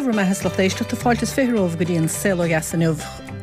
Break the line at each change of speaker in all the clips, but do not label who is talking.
Dé bhur mbeatha a lucht éisteachta, fáilte is 20 romhaibh go dtí an Saol Ó Dheas inniu,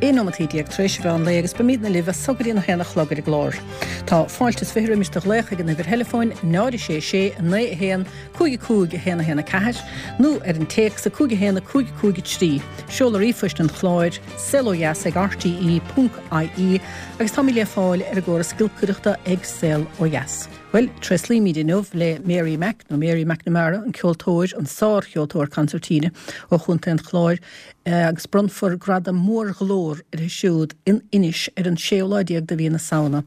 11 nóimeataí tar éis an mheán lae agus beimidne libh as so go dtí an 1 a chlog ar an gclár. Tá fáilte is 20 roimis do ghlaoch ag an uimhir theileafóin 0 6 6 9 1 5 5 1 1 4 nó ar an téacs 5 1 5 5 3. Seoladh ríomhphoist an chláir, saolodheas ag rte ponc ie agus táimid le fáil ar an gcóras giolcaireachta ag Saol Ó Dheas. Bhuel, tréaslaímid inniu le Mary Mac, nó Mary McNamara, an ceoltóir, an sár-cheoltóir consairtíne ó Chontae an Chláir, agus bronnfar gradam Mórghlór uirthi siúd in Inis ar an séú lá déag de mhí na Samhna.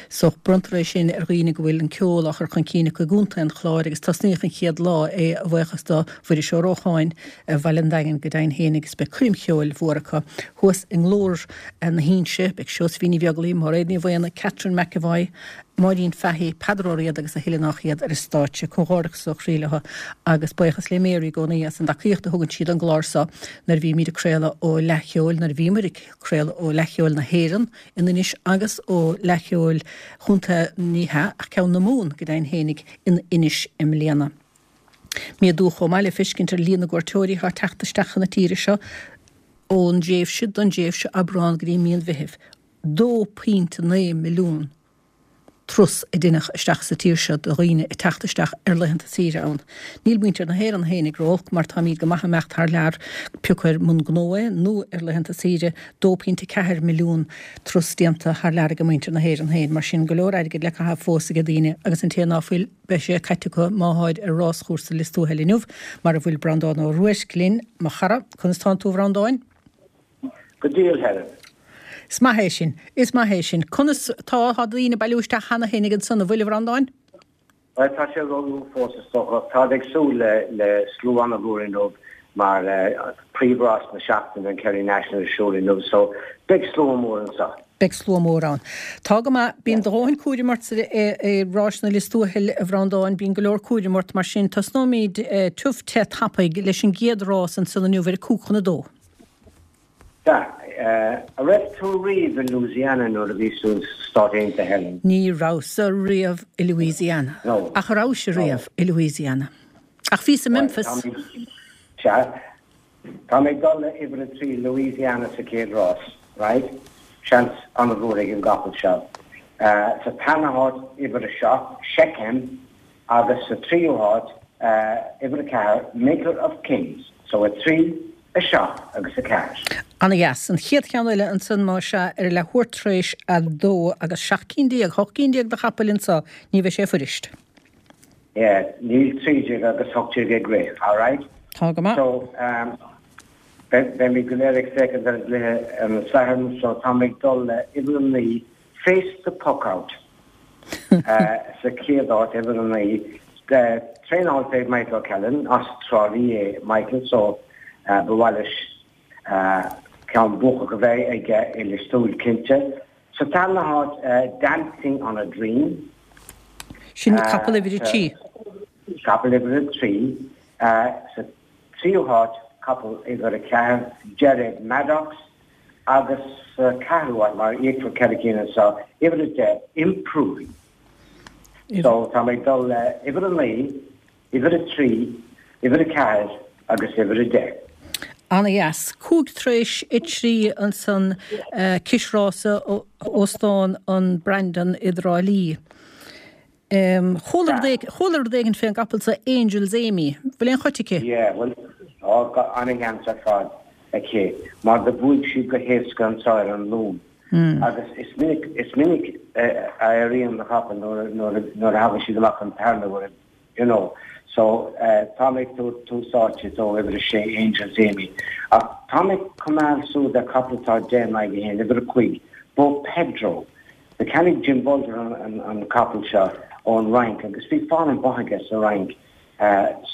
So, bronntar é sin ar dhaoine go bhfuil an ceol á chur chun cinn acu i gContae an Chláir agus tosnaíodh an chéad lá é a bhuíochas do Mhuiris Ó Rócháin ar Bhaile an Daingin go deimhin féin agus beidh coirm cheoil mhór acu thuas i nGlór na hInse, beidh Seosaimhín Ní Bheaglaoich, Máiréad Ní Mhaonaigh, Catherine McEvoy, Máirín Fahy, Peadar Ó Riada agus a thuilleadh nách iad ar an stáitse. Comhghairdeachas ó chroí leo agus buíochas le Mary i gcónaí as an dtacaíocht a thugann sí don gclár seo nuair a bhímid ag craoladh ó Fhleadh Cheoil, nuair a bhíomar ag craoladh ó Fhleadh Cheoil na hÉireann in Inis agus ó Fhleadh Cheoil Chontae, ní hea, ach ceann na Mumhan go deimhin fhéinig in Inis i mbliana. Méadú chomh maith le feiscint ar líon na gcuairteoirí atá ag teacht isteach chun na tíre seo ón dtréimhse don dtréimhse Aibreán go dtí mí an Mheithimh. 2.9 milliún turas a deineadh isteach sa tír seo de dhaoine ag teacht isteach ar laethanta saoire ann. Níl muintir na hÉireann fhéinig ró-olc mar táimíd go maith imeacht thar lear, pé acu ar mbun gnó é nó ar laethanta saoire, 2.4 milliún turas déanta thar lear ag muintir na hÉireann féin. Mar sin, go leor airgid le caitheamh fós ag daoine agus an té ná fuil, beidh sé caite acu má tháid ar ráschúrsa Lios Tuathail inniu, mar a bhfuil Breandán Ó Ruairc linn, mo chara. Conas tánn tú a Bhreandáin?
Go diail, Helen.
Is maith é sin. Is maith é sin. Conas tá, tá daoine ag bailiú isteach cheana féinig ansan, an bhfuil, a Bhreandáin?
Bhuel, tá sé róluath fós is dócha. Táid ag súil le, le slua an-mhór inniu mar príomhrás na seachtaine, an Kerry National ar siúl inniu so beidh slua mór anseo.
Beidh slua mór ann. Tá go maith. Bíonn do dhóthain cúraim ort i rásanna Lios Tuathail, a Bhreandáin. Bíonn go leor cúraim ort. Mar sin, tosnóimid tiubh te tapaidh leis an gcéad rás ansan inniu ar a cúig chun a dó.
Sea. An raibh tú riamh i Louisiana nuair a bhís tú sna Stáit Aontaithe, Helen?
Ní rabhas-sa riamh i Louisiana.
No.
Ach a rabhais-se riamh i Louisiana? Ach bhíos i Memphis.
Sea. Tá mé ag dul le uimhir a trí, Louisiana sa chéad rás, right? Seans an-mhór ag an gcapall seo. Sa tarna háit, uimhir a seacht, Shechem, Agus sa tríú háit, uimhir 4, Maker of Kings. So 3, 7 agus 4.
Ana-dheas. An chéad cheann eile ansan más ea ar a leathuair tar éis a dó agus 17 cinn, 18 cinn de chapaill anso, ní bheidh sé fuirist.
Yeah, níl 13 agus 18 ag rith, alright?
Tá go maith.
So, beimid go léir ag féachaint ar an gcluiche ar an Satharn, so tá mé ag dul le uimhir 9, Face the puck out sa chéad áit, uimhir 9. Traenáilte ag Michael O'Callaghan, as Trá Lí é Michael so ba mhaith leis ceann buacach a bheith aige i Lios Tuathail cinnte. Sa tarna háit, Dancing on a Dream.
Sin capall uimhir 3.
Capall uimhir 3. Sa tríú háit, capall uimhir 4, Jared Maddox. Agus sa ceathrú háit, mar íocfar 4 cinn anseo, uimhir 10, Improving. So tá mé ag dul le uimhir 9, uimhir 3, uimhir 4 agus uimhir 10.
Ana-dheas. Cúig tar éis a trí ansan, Cois Rása, Óstán an Brandon i dTrá Lí. Chuala rud, chuala rud éigin fén gcapall so Angel's Amy. Bhfuil aon choit aici?
Yeah, bhuel, tá ana-sheans ar fad aici mar do bhuaigh sí go héasca anso ar an Luan. Agus is minic, is minic a éiríonn na capaill nuair, nuair, nuair a thagann siad amach an tarna huair, you know. So, tá mé ag tabhairt tús áite dó, uimhir a sé, Angel's Amy. Ach tá mé ag coimeád súil ar chapall atá 10 in aghaidh a haon, uimhir a cúig, Bo Pedro. Do cheannaigh Jim Bolger an capall seo ón Fhrainc agus bhí fáil an-mhaith aige sa Fhrainc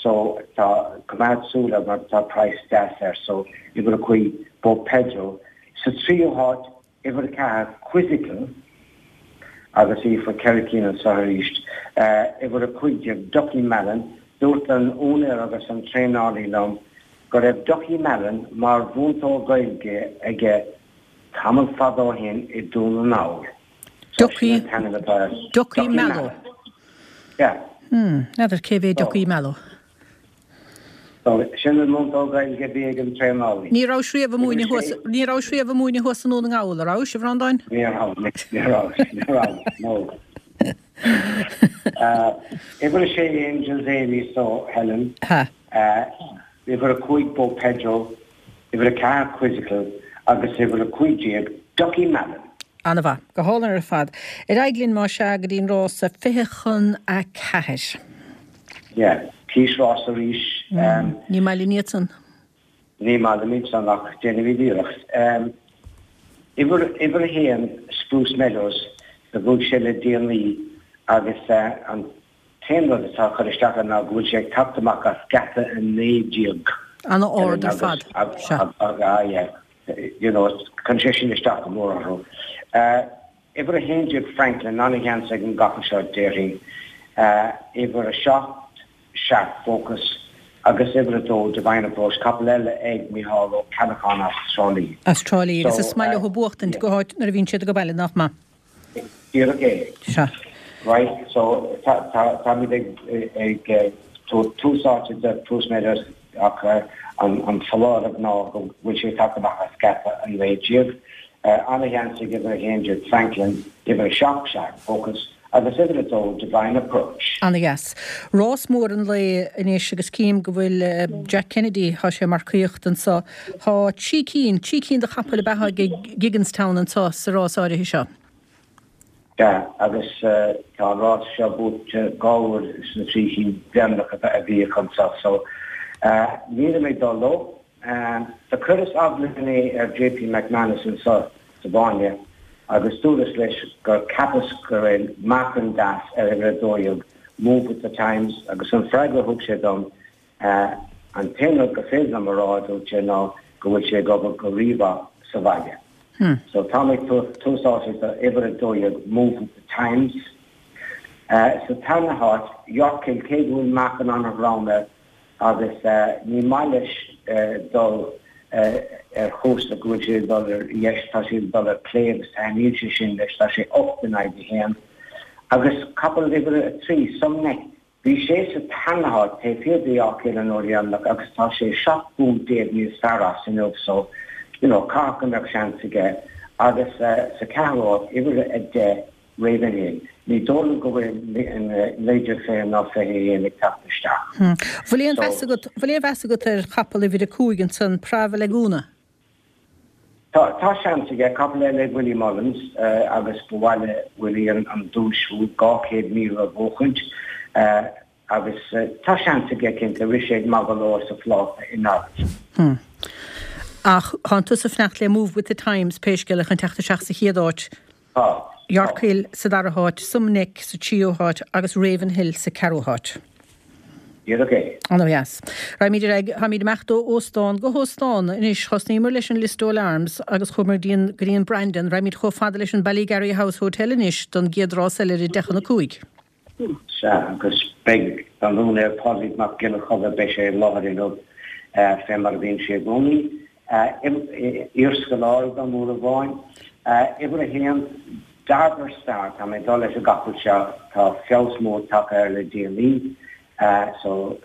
so tá coimeád súil air mar tá praghas deas air so uimhir a cúig Bo Pedro. Sa tríú háit uimhir a ceathair Quizzical agus íocfar 4 cinn anseo arís. Uimhir a 15 Ducky Mallon. Dúirt an úinéir agus an traenálaí liom go raibh Ducky Mallon mar mhúinteoir Gaeilge aige Tamall fada ó shin i Dún na nGall. So
sin an t-ainm atá air. Ducky Mallow.
Yeah.
Hmm, n'fheadar cé hé Ducky Mallow.
So, sin an múinteoir Gaeilge a bhí ag an traenálaí.
Ní rabhais riamh ag múineadh thuas, ní rabhais riamh ag múineadh thuas i nDún na nGall, a rabhais, a Bhreandáin?
Ní raibh, ní raibh, ní raibh, no. Uimhir a sé Angels Amy so, Helen.
Ha.
Uimhir a 5 Beau Pedro, uimhir a 4 Quizzical agus uimhir a 15 Ducky Mallon.
Ana-mhaith. Go hálainn ar fad. Ar aghaidh linn, más ea, go dtí an rása 3:40.
Yeah. Cís rás arís.
Ní maith linn iad san.
Ní maith linn iad san ach déanfaimid iarracht. Uimhir, uimhir a haon, Spruce Meadows, do bhuaigh sé le déanaí agus an t-aon rud atá ag cur isteach air ná go bhfuil sé ag teacht amach as geata 19.
Ana-ard ar fad. Sea.
Ah yeah. You know, cuireann sé sin isteach go mór orthu. Uimhir 11 Franklin, ana-sheans ag an gcapall seo, déarfainn. Uimhir 7 Sharp Focus agus uimhir 2 Divine Approach, capall eile ag Micheál Ó Ceallacháin as Trá Lí.
As Trá Lí, agus is maith leo buachtaint go háit nuair a bhíonn siad ag baile, nach maith?
Díreach é.
Sea.
Right, so táimid ag tabhairt tús áite do Spruce Meadows ach an foláireamh ná go bhfuil sé ag teacht amach as geata 19. Ana-sheans ag uimhir 11 Franklin, uimhir 7 Sharp Focus agus uimhir 2 Divine Approach.
Ana-dheas. Rás mór an lae anois agus cím go bhfuil Jack Kennedy, tá sé ag marcaíocht anso. Tá trí cinn, trí cinn de chapaill ab ea ag Gigginstown anso sa rás áirithe seo.
Sea, agus tá an rás seo buaite dhá uair sna trí chinn deireanacha a bhíodh anso so nílim ag dul leo. Do chuireas ablíní ar JP McManus anso sa bhFáinne agus dúras leis gur cheapas go raibh meáchan deas ar uimhir 12 Move With The Times agus an freagra a thug sé dom An t-aon rud gur féidir liom a rá, a dúirt sé, ná go bhfuil sé ag obair go rímhaith sa bhaile. So táim ag tabhairt tús áite do uimhir 12 Move With The Times. Sa tarna háit, Yorkhill, cé go bhfuil meáchan an-throm air agus ní maith leis dul ar chúrsa go bhfuil sé ag dul ar dheis, tá sé ag dul ar clé agus taitníonn sé sin leis, tá sé 8 in aghaidh a haon. Agus capall uimhir 3, Some Neck, Bhí sé sa tarna háit taobh thiar de Yorkhill an uair dheireanach agus tá sé 17 bpúnt níos fearr as inniu so you know caithfidh go mbeadh seans aige agus sa ceathrú háit, uimhir 10, Ravenhill. Ní dóigh liom go bhfuil 1920 ná 21 ag teacht isteach.
Bhfuil aon mheas agat, bhfuil aon mheas agat ar chapall uimhir 5 ansan, Prava Laguna?
Tá, tá seans aige. Capall eile ag Willie Mullins agus ba mhaith le Willie an duais 200,000 a bhuachaint agus tá seans aige cinnte. Rith sé maith go leor sa phláta i nGaillimh.
Ach tánn tusa ag fanacht le Move With The Times pé scéal é chun teacht isteach sa chéad áit.
Tá.
Yorkhill sa dara háit, Some Neck sa tríú háit agus Ravenhill sa ceathrú háit.
Díreach é.
Ana-dheas. Raghaimid ar aghaidh. Táimid ag imeacht ó óstán go hóstán anois. Thosnaíomar leis an Listowel Arms agus chuamar go dtí an Brandon. Raghaimid chomh fada leis an Ballygarry House Hotel anois don gcéad rás eile ar a deich chun a cúig.
Sea, agus beidh an úinéir Pádraig Mac Giolla Chomhaill, beidh sé i láthair inniu fé mar a bhíonn sé i gcónaí. Iarscoláire dom uair amháin. Uimhir a haon, Darver Star, tá mé ag dul leis an gcapall seo, tá feabhas mór tagtha air le déanaí so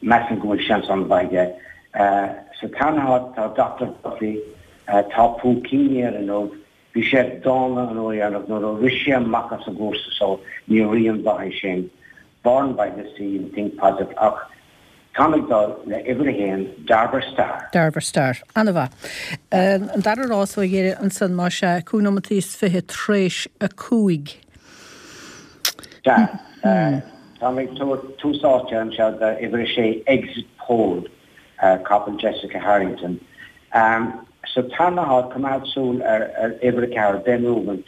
measaim go bhfuil seans an-mhaith aige. Sa tarna háit tá Doctor Duffy, tá púicíní air inniu, Bhí sé dána an uair dheireanach nuair a rith sé amach as an gcúrsa so ní rian mhaith é sin. Born by the Sea and Think Positive ach táim ag dul le uimhir a haon, Darver Star.
Darver Star. Ana-mhaith. An dara rás ó dheireadh ansan más ea, cúig nóimeataí is fiche tar éis a cúig.
Sea. Táim ag tabhairt tús áite anseo do uimhir a sé, Exit Poll. Capall Jessica Harrington. Sa tarna háit, coimeád súil ar uimhir 4, Ben Rubin.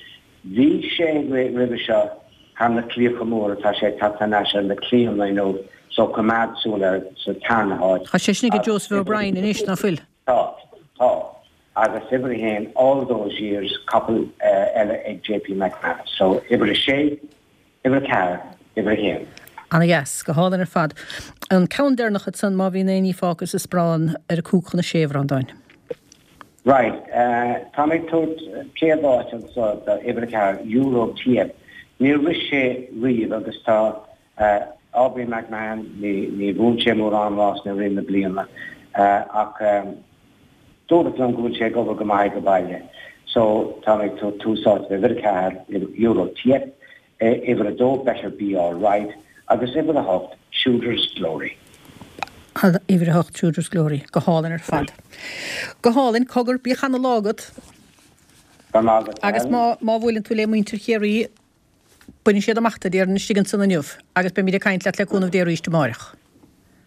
Bhí sé ag rith roimhe seo thar na claíocha móra, tá sé ag teacht thar n-ais ar na claíonna inniu, so coimeád súil air sa tarna háit.
Tá sé sin ag Joseph O'Brien anois, ná fuil?
Tá, tá. Agus uimhir 1, All Those Years, capall eile ag JP McManus. So uimhir 6, Uimhir 4, Uimhir 1.
Ana-dheas. Go hálainn ar fad. An ceann deireanach ansan, má bhíonn aon ní fágtha sa sparán ar a cúig chun a sé, a Bhreandáin.
Right. Tá mé ag tabhairt céad áit anso do uimhir 4, Euro TF. Níor rith sé riamh agus tá. Aubrey McMahon, ní bhuann sé mórán rásanna i rith na bliana ach dúradh liom go bhfuil sé ag obair go maith ag baile. So tá mé ag tabhairt tús áite uimhir 4, Euro TF, uimhir 2, Better Be Alright agus uimhir 8, Shooter's Glory.
Uimhir 8, Shooter's Glory. Go hálainn ar fad. Go hálainn. Cogar, bíodh ana-lá agat.
Go raibh maith agat.
Agus má bhuaileann tú le muintir Chiarraí, Bainfidh siad amach tú, déarfainn, istigh ansan inniu agus beimid ag caint leat le cúnamh Dé arís amáireach.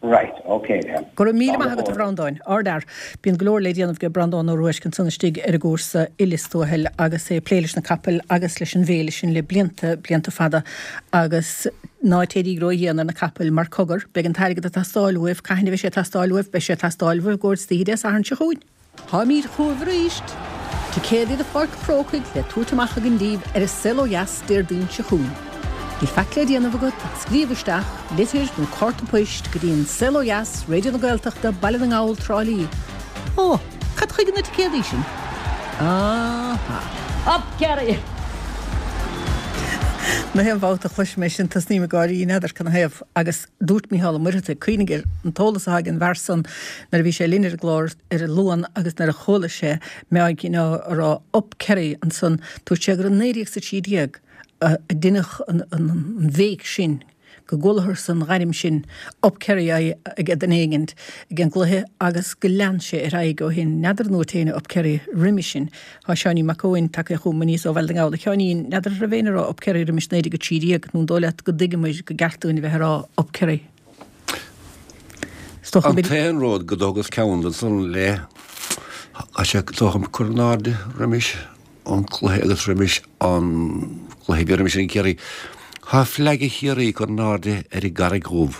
Right, ok then.
Go raibh míle maith agat a Bhreandáin. Ardfhear. Bíonn go leor le déanamh ag Breandán Ó Ruairc ansan istigh ar an gcúrsa i Lios Tuathail agus é ag plé leis na capaill agus leis an bhféile sin le blianta, blianta fada agus ná téiríg ró-dhian ar na capaill mar cogar, beidh an t-airgead ag teastáil uaibh, cathain a bheidh sé ag teastáil uaibh? Beidh sé ag teastáil uaibh i gcomhair istoíche Dé Sathairn seo chugainn. Táimid chugaibh arís! Ticéadaí do Pháirc an Chrócaigh le tabhairt amach againn daoibh ar An Saol Ó Dheas Déardaoin seo chugainn. Níl faic le déanamh agat ach scríobh isteach, litir nó cárta poist go dtí An Saol Ó Dheas, Raidió na Gaeltachta, Baile na nGall, Trá Lí. Ó, cad chuige na ticéadaí sin? Aha.
Up Kerry!
Na haon bhabhta a chloisim é sin tosnaím ag gáirí, n'fheadar canathaobh, agus dúirt Mícheál Ó Muircheartaigh, cuimhnigh ar an t-eolas atá ag an bhfear san nuair a bhí sé linn ar an gclár ar an Luan agus nuair a chuala sé Meáigín á rá Up Kerry ansan, dúirt sé gur i 1913 a deineadh an bhéic sin, go gcualathas an ghairm sin Up Kerry ag duine éigint ag an gcluiche agus go lean sé ar aghaidh ó shin. N'fheadar an ndúirt éinne Up Kerry roimis sin. Tá Seáinín Mac Eoin tagtha chugam aníos ó Bhaile na nGall. A Sheáinín, n'fheadar an raibh éinne ag rá Up Kerry roimis 1913 nó an dóigh leat go dtuigeamair go gceart dúinn a bheith ag rá Up Kerry?
An t-aon rud go dtógas ceann den san le tá sé dócha cur in airde roimis an cluiche agus roimis an cluiche bhí roimis an Ciarraí. Tá flag Chiarraí curtha in airde ar an gCarraig Dhubh.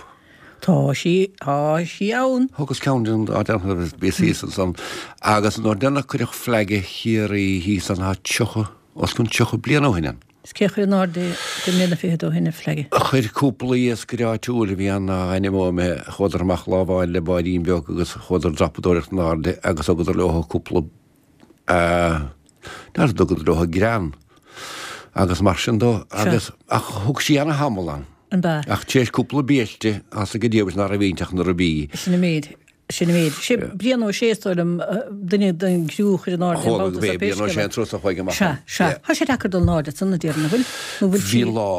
Tá sí, tá sí ann.
Thógas ceann den dá déanamh bhíos thíos ansan agus nuair deireanach cuireadh flag Chiarraí thíos ann tá 30, os cionn 30 bliain ó shin ann.
Is cé a chuir in airde deich mbliana fichead ó shin an flag?
Chuir cúpla iascaire áitiúil a bhí ann a ainm uaim, chuadar amach lá amháin le báidín beag agus chuadar dreapadóireacht in airde agus thugadar leo cúpla n'fheadar dtugadar leo grean agus mar sin dó agus ach thug sí ana thamall ann.
An b'ea?
Ach tar éis cúpla biaiste thosaigh an diabhal ná raibh inti ach na ribí.
Sin an méid. Sin an méid. Sé Brian Ó Sé is dóigh liom duine den gcriú a chuir in airde an babhta
so pé scéal é. Brian Ó Sé an turas a chuaigh amach
Sea, sea. Tá sé deacair dul in airde ansan a déarfainn, an bhfuil? Nó bhfuil
sí. Bhí an lá,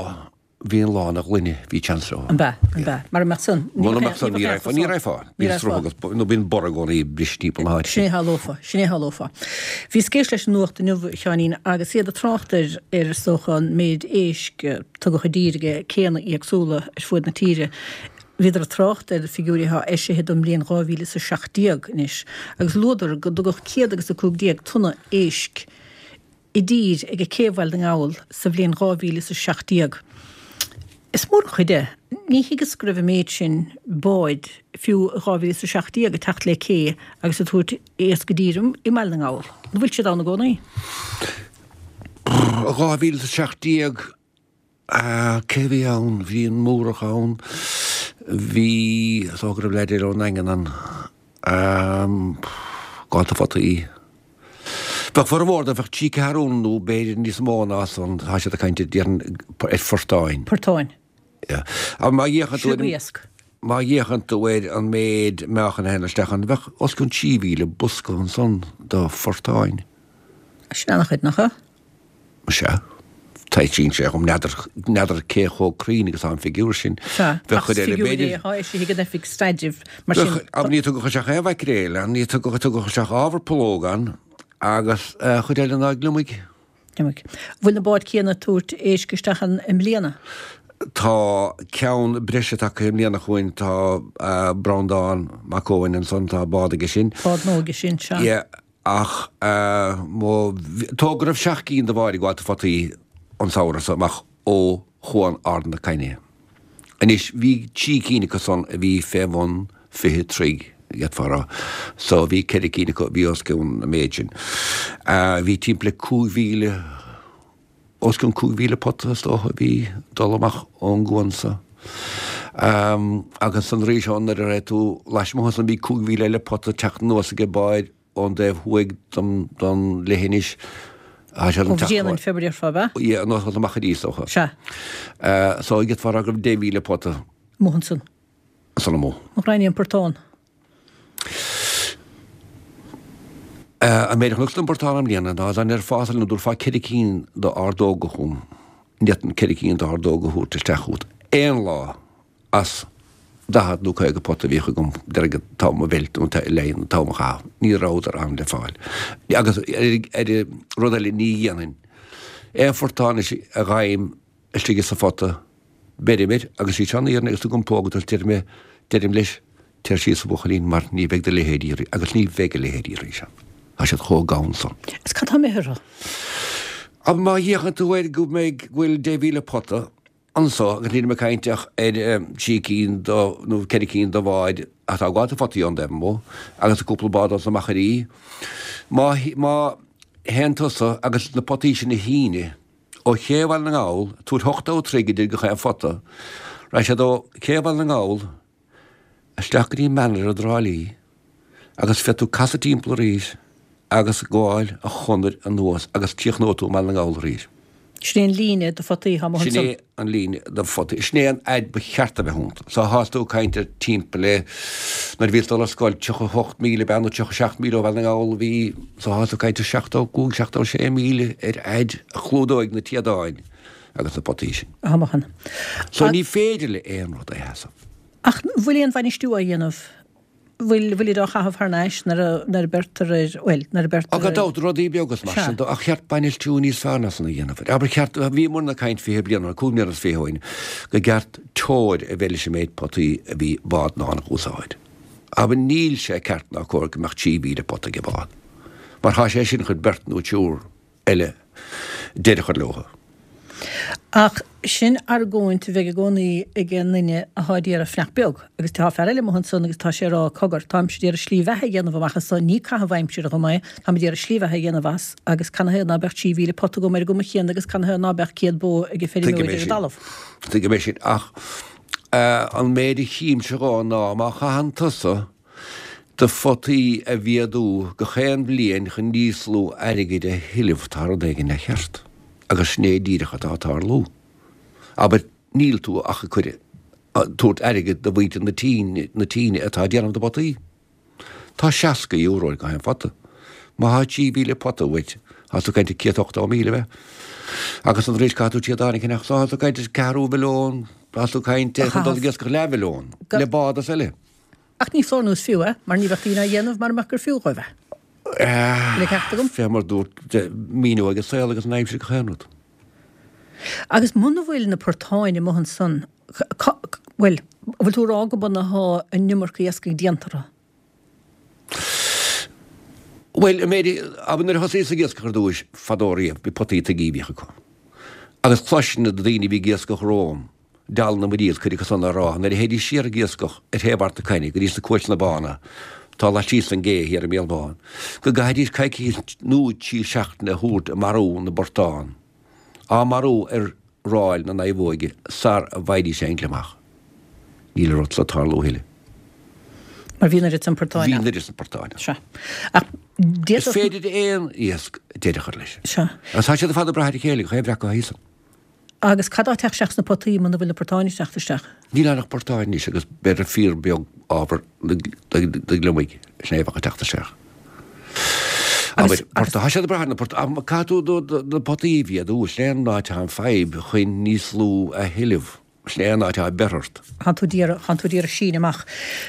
bhí an lá ina ghloine, bhí chance leo.
An b'ea, an b'ea. Mara mbeadh san,
ní bheadh aon, ní bheadh aon chosán. Ní raghfá, ní raghfá. Bíonn sruth agus, nó bíonn borradh i gcónaí ag briseadh timpeall na háite.
Sin é a tharlófá, sin é a tharlófá. Bhíos ag éisteacht leis an nuacht inniu, a Sheáinín, agus iad ag trácht ar, ar is dócha an méid éisc a tugadh i dtír ag céanna éagsúla ar fuaid na tíre. Bhíodar ag trácht ar figiúirí atá eisithe don mbliain 2017 anois agus luadar go dtugadh 115 tonna éisc i dtír ag cé Bhaile na nGall sa bhliain 2017. Is mór an chuid é. Ní thuigeas go raibh an méid sin báid, fiú i 2017, ag teacht le cé agus ag tabhairt iasc i dtír i mBaile na nGall. An bhfuil siad ann i gcónaí?
2017. Cé a bhí ann? Bhí an Múrach ann, bhí, is dócha go raibh leaid eile ón nDaingean ann, gabháil photaí. Bheadh formhór de, bheadh trí ceathrún nó b'fhéidir níos mó ná san, tá siad ag caint déarfainn ar phortáin.
Portáin.
Yeah. Ach má fhéachann tú ar,
Sliogéasc.
má fhéachann tú ar an méid meáchan a théann isteach ann, bheadh os cionn 3,000 bosca ansan de phortáin.
Sin an-chuid, nach ea?
Sea. Taitníonn sé dhom. N'fheadar, n'fheadar cé chomh cruinn agus atá an figiúr sin.
Sea,
Bheadh
ach
cuid
is
eile,
figiúr é
b'fhéidir.
atá eisithe ag an Oifig Staidrimh, mar sin.
Bheadh, ach ní tugadh isteach aon mhaicréil ann, ní tugadh, tugadh isteach ábhar pollóg ann agus chuid eile ná gliomaigh.
Gliomaigh. Bhfuil na báid céanna ag tabhairt éisc isteach ann i mbliana?
Tá ceann breise tagtha i mbliana chugainn, tá Breandán Mac Eoin ansan, tá bád aige sin.
Bád nua aige sin, sea.
Yeah. Ach mo, dócha go raibh seacht gcinn de bháid ag gabháil photaí an samhradh so amach ó Chuan Ard na Caithne. Anois, bhí trí cinn acu san a bhí fé bhun 20 troigh, d'fhéadfá a rá. So bhí ceithre cinn acu a bhí os cionn an méid sin. Bhí timpeall le 5,000, os cionn 5,000 pota is dócha a bhí ag dul amach ón gcuan so. Agus ansan arís ó nuair a raibh tú lasmuigh ansan bhí 5,000 eile pota ag teacht anuas ag báid ón dtaobh thuaidh den leithinis.
Tá siad an teacht. Ó Bhréanainn fé mar a déarfá, ab
ea? Yeah, anuas amach arís, is dócha.
Sea.
So d'fhéadfá a rá go raibh 10,000 pota.
Amuigh ansan.
Ansan amuigh.
An ghrainní an portán.
An méid a chonacsa den bportán i mbliana ná dá ndéarfása liom go dtabharfá 4 cinn d'ordóga chugam, ní fhéadfainn 4 cinn d'ordóga a thabhairt isteach chugat aon lá as 40 nó 50 pota a bhíodh agam, déarfainn an t-am a mheilt nó an t-am a chaitheamh. Ní rabhadar ann le fáil. Agus ar rud eile ní dhéanfainn aon phortán anois a ghabhaim istigh sa phota, beirim air agus is í seo an fhírinne agus tugaim póg dó deirim, deirim leis, téir síos a bhuachaillín mar ní bheidh do leithéidí arís agus ní bheidh a leithéidí arís ann. Tá siad chomh gann san.
Is cad tá imithe orthu?
Ach má fhéachann tú air go mbeidh, go bhfuil 10,000 pota anso agus nílim ag caint ach ar trí cinn do, nó ceithre cinn de bháid atá ag gabháil do photaí ón dtaobh amuigh agus cúpla bád as na machairí. Má, má théann tusa agus na potaí sin a shíneadh, Ó Ché Bhaile na nGall, tabhair 80 troigh idir gach aon phota, raghaidh siad ó Ché Bhaile na nGall isteach go dtí Manaire i dTrá Lí agus féadfaidh tú casadh timpeall arís agus gabháil an chonair anuas agus críochnóidh tú i mBaile na nGall arís.
Sin é an líne de photaí atá amuigh
Sin é an líne de photaí. Sin é an fhaid ba cheart a bheith iontu. So thás tú ag caint ar timpeall le, nuair a bhíos ag dul ar scoil, 38 míle ab ea nó 37 míle ó Bhaile na nGall a bhí, so thás tú ag caint ar 75, 76 míle ar fhaid a chlúdóidh na téadáin agus na potaí sin.
Atá amuigh ann.
So ní féidir le aon rud é a sheasamh.
Ach bhfuil aon bhainistiú á dhéanamh bhfuil, bhfuilid á chaitheamh thar n-ais nuair a, nuair a beirtear ar, bhuel, nuair a beirtear
ar. Gan dabht, rudaí beaga is mar sin de, ach cheart bainistiú níos fearr ná san a dhéanamh. Abair, cheart, bhíomarna ag caint 20 bliain, nó 25 bliana ó shin, go gceart teoir a bheith leis an méid potaí a bhí bád in ann a úsáid. Abair, níl sé ceart ná cóir go mbeadh 3,000 pota ag bád, mar thá sé sin chun beirt nó triúr eile deireadh a chur leo.
Ach sin argóint a bheidh i gcónaí ag an nduine atá ag iarraidh fanacht beag. Agus tá fear eile amuigh ansan agus tá sé ag rá, cogar, táimse ag iarraidh slí bheatha a dhéanamh amach as so, ní caitheamh aimsire dhom é, táim ag iarraidh slí bheatha a dhéanamh as agus canathaobh ná beadh 3,000 pota agam ar an gcuma chéanna agus canathaobh ná beadh 100 bó ag an
Tuigim
feirmeoir
é
ar an
sin.
dtalamh.
Tuigim é sin. Ach an méid a chímse dhó ná má chaitheann tusa do photaí a mhéadú gach aon bhliain chun níos lú airgid a thuilleamh, tá rud éigin leathcheart. Agus sin é díreach atá ag tarlú. Abair, níl tú ach ag cur, tabhairt airgid do mhuintir na tine, na tíne atá ag déanamh na bpotaí. Tá €60 ar gach aon phota. Má thá 3,000 pota uait, tá tú ag caint ar 180,000 ab ea? Agus arís caithfidh tú téadáin a cheannach, tá tú ag caint ar ceathrú mhilliún, tá tú ag caint ar chun dul ag iascach leathmhilliún, le bád is eile.
Ach ní foláir nó is fiú é, mar ní bheadh daoine á dhéanamh mara mbeadh gur fiú dhóibh é. Bhfuil an ceart agam?
Fé mar dúirt, míniú ag an saol agus an aimsir gach aon rud.
Agus muna bhfuil na portáin amuigh ansan, bhuel, an bhfuil tú ag rá go mb'ionadh athá an iomarca iascaigh déanta orthu?
Bhuel, an méid, abair nuair a thosaíos ag iascach ar dtúis, fadó riamh, bhí potaí tuigí a bhíodh acu. Agus chloisinn na daoine a bhí ag iascach romham, Dealbh na Muiríl, cuid acu san á rá, nuair a théidís siar ag iascach ar thaobh Ard na Caithne go dtí sna Cuailteanna Bána, atá laitíos den gcé thiar i mBéal Bán, go gcaithfidís coicís nó trí seachtaine a thabhairt ag marú na bportán, á marú ar ráil na naomhóige sara bhfaighidís aon gliomach. Níl an rud so ag tarlú a thuilleadh.
Mar bhí an oiread san portáin
ann. Bhí an oiread san portáin
ann. Sea. Ach
d'fhéadfadh. Is féidir aon iasc deireadh a chur leis.
Sea.
Agus tá siad ar fad ag brath ar a chéile, gach aon bhreac acu thíos ann.
Agus cad tá ag teacht isteach sna potaí muna bhfuil na portáin ag teacht isteach?
Níl ann ach portáin anois agus b'fhéidir fíor beag ábhar do ghliomaigh, sin é a bheadh ag teacht isteach. Abair, portá, tá siad ag brath ar na portáin, caithfidh tú na potaí a mhéadú, sin é an áit atá an fadhb chun níos lú a thuilleamh, sin é an áit atá beirthe ort.
Thánn tú d'iarraidh, thánn tú d'iarraidh síneadh amach.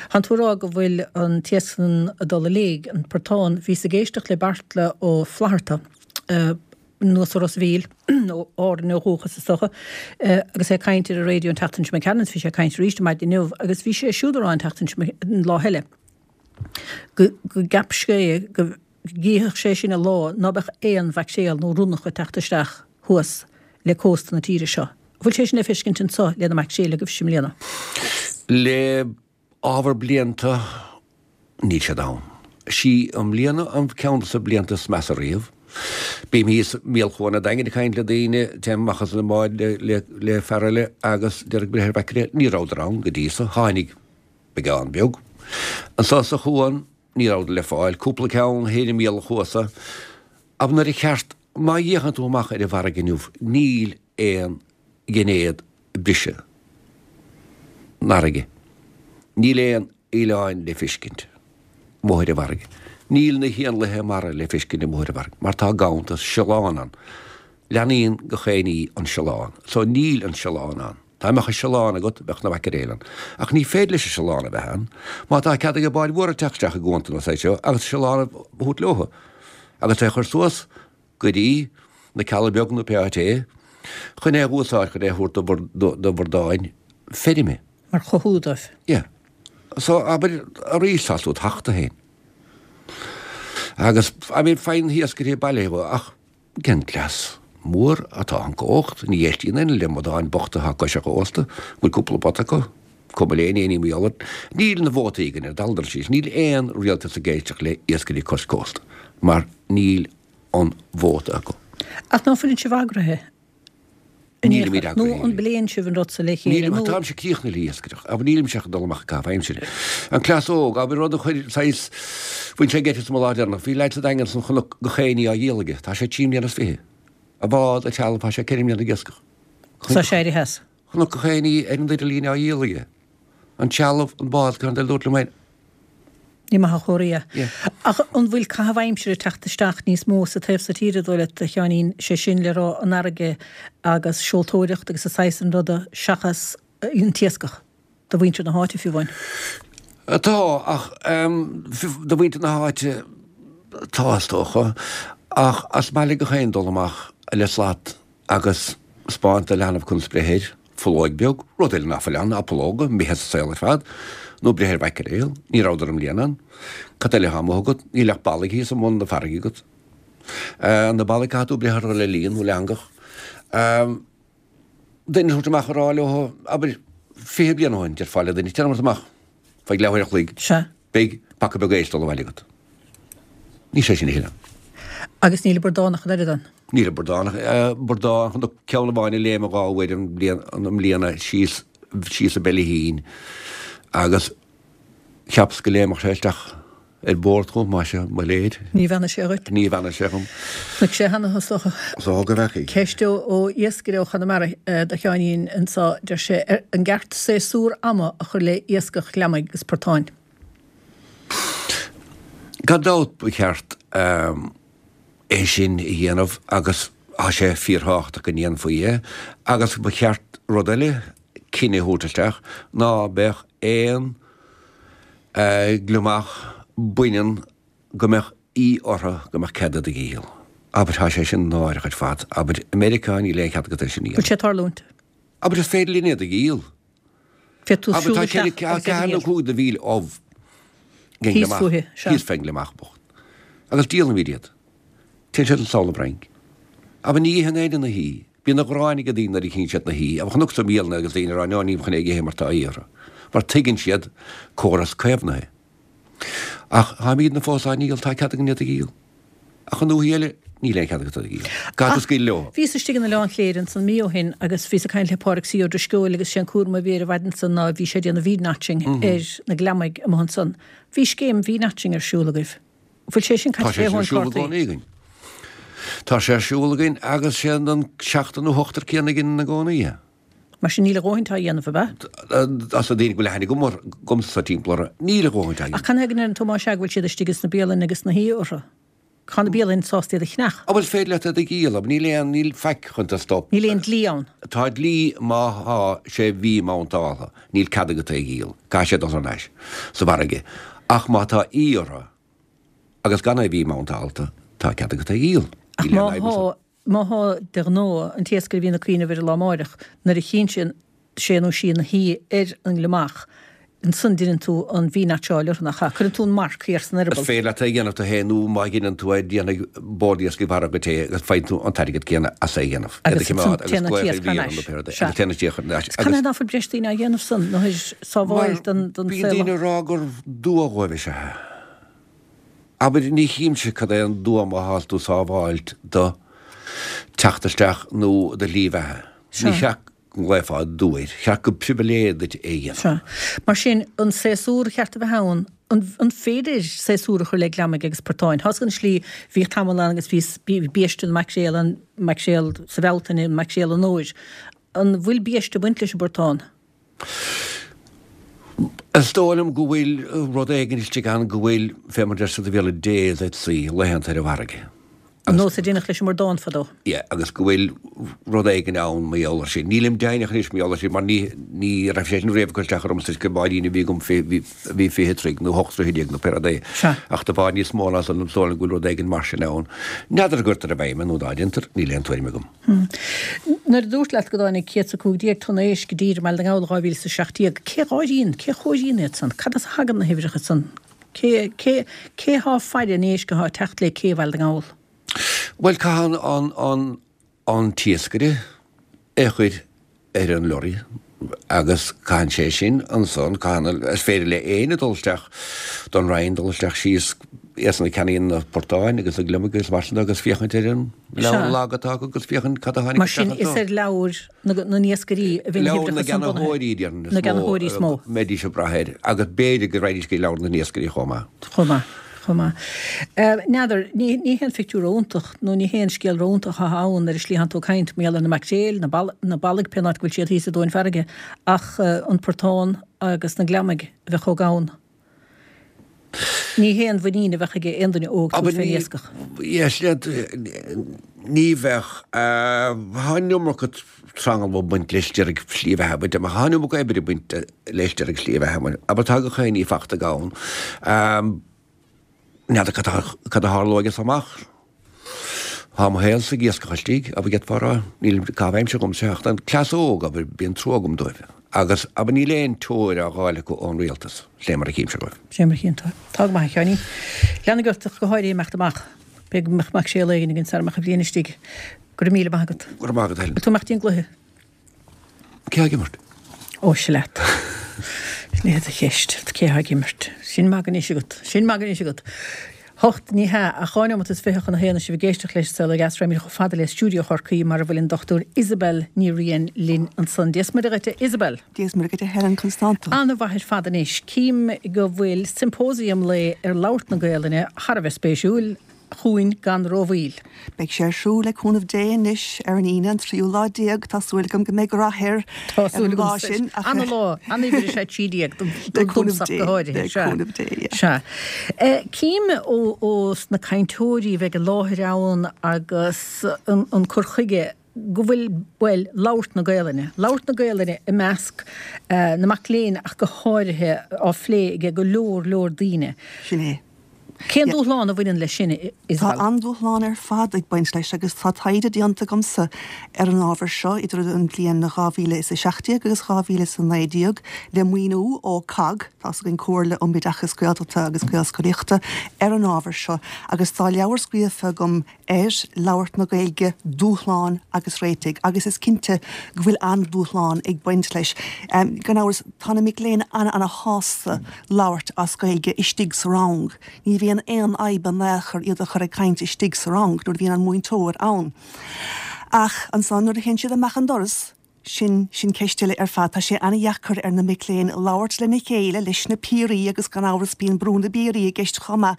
Thánn tú ag rá go bhfuil an t-iasc san ag dul i léig, an portán. Bhíos ag éisteacht le Beartla Ó Flatharta, anuas ó Ros a' Mhíl, ó Árainn ó dhúchas is dócha, agus é ag caint ar an raidió an tseachtain seo imigh tharainn, bhí sé ag caint arís ar maidin inniu, agus bhí sé siúd ag rá an tseachtain seo, an lá eile, go go gceap sé go gcífeadh sé sin an lá ná beadh aon mhaicréal nó ronnach ag teacht isteach thuas le cósta na tíre seo. An bhfuil sé sin le feiscint anso le na maicréil agaibhse i mbliana?
Le ábhar blianta, níl siad ann. Sí i mbliana an ceann de na blianta is measa riamh. Bím thíos i mbéal Chuan an Daingin ag caint le daoine, téim amach as an mbád le le fear eile agus deir breith ar mhaicréil, ní rabhadar ann go dtí so, tháinig beagán beag. Anso sa chuan, ní rabhadar le fáil, cúpla ceann thoir i mbéal an chuasa. Ach nuair a cheart, má fhéachann tú amach ar an bhfarraige inniu, níl aon gheinéad ag briseadh. an fharraige. Níl aon oileáin le feiscint amuigh ar an bhfarraige. Níl na héanlaithe mara le feiscint amuigh ar an bhfarraige mar tá gabhantas siolán ann. Leanaíonn gach aon ní an siolán. So níl an siolán ann. Dá mbeadh an siolán agat bheadh na mhaiceréil ann. Ach ní féidir leis an siolán a bheith ann má tá cead ag báid mhóra teacht isteach i gcuanta na saghas seo agus siolán a thabhairt leothu agus é a chur suas go dtí na Cealla Beag nó pé áit é chun é a úsáid chun é a thabhairt do bhradáin feirme.
Mar chothú dóibh.
Yeah. So abair arís tá tú tachta féin. Agus I mean faigheann na hiascairí baile ach cén cleas mór atá an cumhacht, ní éistíonn éinne le bradáin bochta atá cois an chósta, bhfuil cúpla pota acu, cuma le éinne ní mar gheall Níl na vótaí againn ar dul dul síos, níl aon rialtas ag éisteacht le iascairí cois cósta mar níl an vóta acu.
Ach ná fuileann sibh eagraithe in aon
Nílimid
chor? Nó
eagraithe.
an bpléann sibh an rud so le chéile
Nílim,
nó.
táimse críochnaithe le hiascaireacht, abair nílimse ach ag dul amach ag caitheamh aimsire. An cleas óg, abair rud a chuir saghas, bhain sé geit asam an lá deireanach, bhí leaid sa Daingean san chonac gach aon ní á dhíol aige, tá sé trí mbliana is fiche. A bhád, a trealamh, tá sé ceithre mbliana ag iascach.
Tá sé éirithe as.
Chonac gach aon ní ar an idirlíon á dhíol aige. An trealamh, an bád, gan dul dúirt liom féin.
Ní maith an chomhartha é.
Yeah.
Ach an bhfuil caitheamh aimsire ag teacht isteach níos mó sa taobh so tíre, dóigh leat, a Sheáinín, sé sin le rá an fharraige agus seoltóireacht agus an saghas san ruda seachas an t-iascach, do mhuintir na háite fiú amháin?
Tá, ach do mhuintir na háite tá is dócha, ach is maith le gach aon dul amach le slat agus 'spáint do leanbh conas breith air, fulóig beag, rud eile ná fuil ann ná pulóga, imithe as an saol ar fad, nó breith ar mhaiceréal, ní rabhadar i mbliana ann. Cad eile atá amuigh agat? Níl ach ballaigh thíos i mbun na farraige agat. Na ballaigh caithfidh tú breith orthu le líon nó le heangach. Duine a thabhairt amach a rá leo, abair, 20 bliain ó shin, déarfá le duine, téanam amach feadh leathuair a chloig.
Sea.
Beidh paca beag éisc dul abhaile agat. Níl sé sin a thuilleadh.
Agus níl an bradán ach an oiread ann.
Níl an bradán, bradán, chonac ceann amháin ag léimeadh dhá uair an bhliain, i mbliana síos, síos an Beilithín agus cheapas go léimfeadh sé isteach ar bord chugam, maise mo léir.
Ní bheannaigh sé dhuit.
Ní bheannaigh sé dhom.
Chonaic sé cheana is dócha.
Is dócha go bhfeacaigh.
Ceist ó iascaire ó Chonamara do Sheáinín anseo, deir sé, an gceart séasúr ama a chur le iascach gliomaigh agus portáin?
Gan dabht ba cheart é sin a dhéanamh agus tá sé fíorthábhachtach go ndéanfaí é agus ba cheart rud eile, cinneadh a thabhairt isteach ná beadh aon gliomach baineann go mbeadh í orthu go mbeadh cead iad a dhíol. Abair, tá sé sin náireach ar fad. Abair, i Meiriceá níl aon chead agat é sin a
dhéanamh. Bhfuil sé ag tarlúint?
Abair, is féidir linn iad a dhíol.
Féadfaidh tú
Abair,
siúl
tá
isteach agus iad a
ceathair nó
dhíol.
cúig de mhíle ubh den
Thíos
gliomach.
fúithi, sea.
Thíos fén ngliomach bocht. Agus díolaimid iad. Téann siad sall 'na Fhrainc. Abair, ní itheann éinne na hí. Bíonn an ghráin ag daoine nuair a chíonn siad na hí. Abair, chonacsa bialanna agus daoine ag rá, no, nílim chun é a ithe mar tá í orthu. Mar tuigeann siad córas caomhnaithe. Ach táimidne fós á ndíol, tá cead againn iad a dhíol. Ach i ndúthaí eile, níl aon chead agat iad a dhíol. Caithfidh tú scaoileadh leo.
Bhíos istigh in Oileán Chléire ansan mí ó shin agus bhíos ag caint le Pádraig C. Ó Drisceoil agus sé an cúram a bhí air an mhaidin san ná bhí sé ag déanamh V-notching ar na gliomaigh amuigh ansan. Bhí scéim V-notching ar siúl agaibh. Bhfuil sé sin
Tá
caite
sé
fé
sin ar
thóin
siúl i
cártaí?
gcónaí againn. Tá sé ar siúl againn agus sé an seachtar nó ochtar céanna a dheineann i gcónaí é.
Mar sin níl a dhóthaint á dhéanamh, ab ea?
As na daoine go bhfuil aithne agam orthu, agamsa timpeall orthu, níl a dhóthaint á
Ach
dhéanamh.
canathaobh go ndeireann tú más ea go bhfuil siad istigh ins na bialanna agus na hí orthu? Tá na bialainn sásta iad a cheannach.
An bhfuil féidir leat iad a dhíol? Níl aon, níl faic chun tú stop.
Níl aon dlí ann.
Tá dlí má thá sé V-mountáltha, níl cead agat é a dhíol, caithfidh sé dul thar n-ais sa bhfarraige. Ach má tá í orthu agus gan é V-mountálta, tá cead agat é a dhíol.
Ach
Níl
má
aon fhadhb ansan.
thá, má thá de ghnáth, an t-iascaire a bhíonn ag cuimhneamh ar an lá amáireach, nuair a chíonn sé, sé nó sí na hí ar an ngliomach, ansan deineann tú an V-notcháil orthu, nach ea? Cuireann tú an marc thiar san
Is
eireaball.
féidir leat é a dhéanamh tú féin nó má dheineann tú é déanfaidh Bord Iascaigh Mhara dhuit é agus faigheann tú an t-airgead céanna as é a dhéanamh. Iad a
Agus ansan
choimeád agus
téann an
glaoch ar
t-iasc thar
mhír
n-ais.
nó pé rud é.
Sea.
Agus téann an t-iasc thar n-ais.
Agus canathaobh ná fuil breis daoine á dhéanamh san, nó ar sábháil
Mar
don don
bíonn
saol.
daoine ag rá gur dua dhóibh is ea é. Abair, ní chímse cad é an dua má thá tú sábháilt do teacht isteach nó do shlí bheatha. Ní
Sea.
cheart go nglaofá dua air. Cheart gur pribhléid duit é a dhéanamh.
Sea. Mar sin, an séasúr a cheart a bheith ann, an, an féidir séasúr a chur le gliomaigh agus portáin? Tá 'fhios agat an slí, bhíodh tamall ann agus bhí, bhí biaiste na maicréal ann, maicréal sa Bhealtaine, maicréal an fhómhair. An bhfuil biaiste ag baint leis an bportán?
Is dóigh liom go bhfuil rud éigin istigh ann go bhfuil, fé mar deir siad sa Bhéarla, days at sea, laethanta ar an bhfarraige.
An nós a deineadh leis an mbradán fadó.
Yeah, agus go bhfuil rud éigin ann mar gheall air sin. Nílim deimhneach anois mar gheall air sin mar ní, ní raibh sé sin riamh ag cur isteach ormsa is go báirín a bhí agam fé, bhí, bhí 20 troigh nó 18 troigh nó pé rud é.
Sea.
Ach de bharr níos mó ná san, is dóigh liom go bhfuil rud éigin mar sin ann. N'fheadar an gcuirtear i bhfeidhm é nó ná déantar, níl aon tuairim agam.
Nuair a dúrt leat go dtáinig 115 tonna éisc i dtír i mBaile na nGall 2017, cé dh'áiríonn, cé chomhairíonn iad san? Cad as a thagann na huimhreacha san? Cé, cé, cé thá ag faire an éisc athá ag teacht lé cé Bhaile na nGall?
Bhuel, caitheann an, an, an t-iascaire é a chur ar an lorry agus caitheann sé sin ansan, caitheann, is féidir le éinne dul isteach don Roinn, dul isteach síos iadsan a ceannaíonn na portáin agus na gliomaigh agus mar sin de agus féachaint ar an leabhar lag atá acu agus féachaint cad a tháinig
Mar sin,
isteach
is
anso.
ar leabhair na n-iascairí a bhíonn na
Leabhar na
huimhreacha san bunaithe.
gceannaitheoirí, déarfainn,
Na gceannaitheoirí
is
is mó.
mó a mbeidís ag brath air agus b'fhéidir go raghaidís go leabhar na n-iascairí chomh maith.
Chomh maith. Chomh maith. N'fheadar, ní, ní haon phictiúr ró-iontach nó ní haon scéal ró-iontach atá ann ar an slí a thánn tú ag caint mar gheall ar na maicréil, na bal, na ballaigh, pén áit go bhfuil siad thíos i dtóin farraige, ach an portán agus na gliomaigh a bheith chomh gann. Ní haon mhuinín a bheadh aige aon duine óg tabhairt fén iascach.
Yes, ní bheadh. Tá an iomarca tranglam ag baint leis de réir slí bheatha, but tá an iomarca oibre ag baint leis de réir slí bheatha. Abair tá gach éinne fachta gann. N'fheadar cad a tharlóidh as amach. Tá mo shaolsa ag iascach istigh, abair d'fhéadfá a rá. Níl caitheamh aimsire agamsa ach an cleas óg, abair, bíonn trua agam dóibh. Agus, abair, níl aon treoir á dh'fháil acu ón rialtas, fé mar a chímse dóibh.
Fé mar a chíonn tú. Tá go maith, a Sheáinín. Leanfaidh ort ach go háirithe imeacht amach. B'fhéidir go mbeadh maicréal éigin againn sara mbeadh an bhliain istigh. Go raibh míle maith agat.
Go raibh maith agat, Helen.
Bhfuil tú ag imeacht dtí an gcluiche?
Cé ag imirt?
Ó, sea leat. Sin é do cheist. Cé ag imirt? Sin magadh anois agat. Sin magadh anois agat. Hocht, ní hea, ach dhá neomat is fiche chun a haon is sibh ag éisteacht leis an Saol Ó Dheas raghaimid chomh fada le stiúideo Chorcaí mar a bhfuil an Dr Isabel Ní Riain linn ansan. Dia 's Muire dhuit, a Isabel.
Dia 's Muire dhuit, a Helen, conas tánn tú?
Ana-mhaith ar fad anois. Cím go bhfuil symposium lae ar labhairt na Gaelainne thar a bheith spéisiúil. chugainn gan rómhoill.
Beidh sé ar siúl le cúnamh Dé anois ar an Aoine an tríú lá déag. Tá súil agam go mbeidh rath air
Tá ar súil an lá agamsa. sin ach Ana-lá, an-uimhir is ea 13 dom
le cúnamh
domsa ach
Dé,
go háirithe.
le
Sea.
cúnamh Dé, yeah.
Sea. Cím ó ó sna cainteoirí a bheidh i láthair ann agus an an cur chuige go bhfuil, bhuel, labhairt na Gaelainne, labhairt na Gaelainne i measc na mac léinn ach go háirithe á phlé ag go leor leor daoine.
Sin é.
Cén dúshlán a bhaineann leis sin,
Tá
Isabel?
an-dúshlán ar fad ag baint leis agus tá taighde déanta agamsa ar an ábhar seo idir an bhliain 2017 agus 2019 le maoiniú ó COGG, tá's againn Comhairle um Oideachas Gaeltachta agus Gaelscolaíochta, ar an ábhar seo agus tá leabhar scríofa agam ar labhairt na Gaeilge, dúshláin agus réitigh, agus is cinnte go bhfuil an-dúshlán ag baint leis. Gan amhras, tá na mic léinn an-ana-shásta labhairt as Gaeilge istigh sa rang. Ní bhíonn aon fhadhb in aon chor iad a chur ag caint istigh sa rang nuair a bhíonn an múinteoir ann. Ach ansan nuair a théann siad amach an doras, Sin, sin ceist eile ar fad. Tá sé an-dheacair ar na mic léinn labhairt lena chéile, leis na piaraí agus gan amhras bíonn brú na bpiaraí i gceist chomh maith,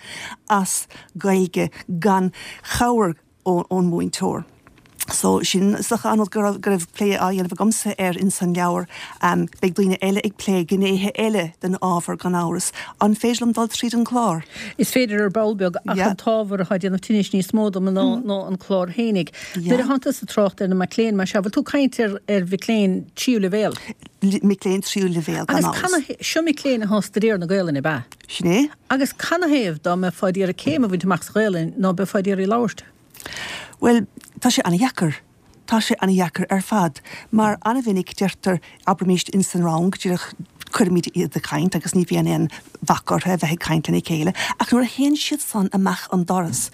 as Gaeilge gan chabhair ón múinteoir. So, sin is dócha an rud go raibh, go raibh plé á dhéanamh agamsa air ins an leabhar. Beidh daoine eile ag plé gnéithe eile den ábhar gan amhras. An féidir liom dul tríd an clár?
Is féidir ar ball beag ach an t-ábhar atá ag déanamh tinnis níos mó dom ná an clár fhéinig. Nuair a thánn tusa ag trácht ar na mic léinn mar seo, bhfuil tú ag caint ar ar mhic léinn tríú leibhéal?
Mic léinn tríú leibhéal, gan
Agus
amhras.
canathaobh, seo mic léinn atá ag staidéar na Gaelainne, ab ea?
Sin é.
Agus canathaobh dá mbeifeá d'iarraidh céim a bhaint amach sa Ghaelainn ná beifeá d'iarraidh labhairt?
Bhuel, tá sé an-dheacair. Tá sé an-dheacair ar fad, mar an-mhinic deirtear, abraimíst ins an rang, díreach cuirimid iad ag caint agus ní bhíonn aon bhac orthu a bheith ag caint lena chéile, ach nuair a théann siad san amach an doras,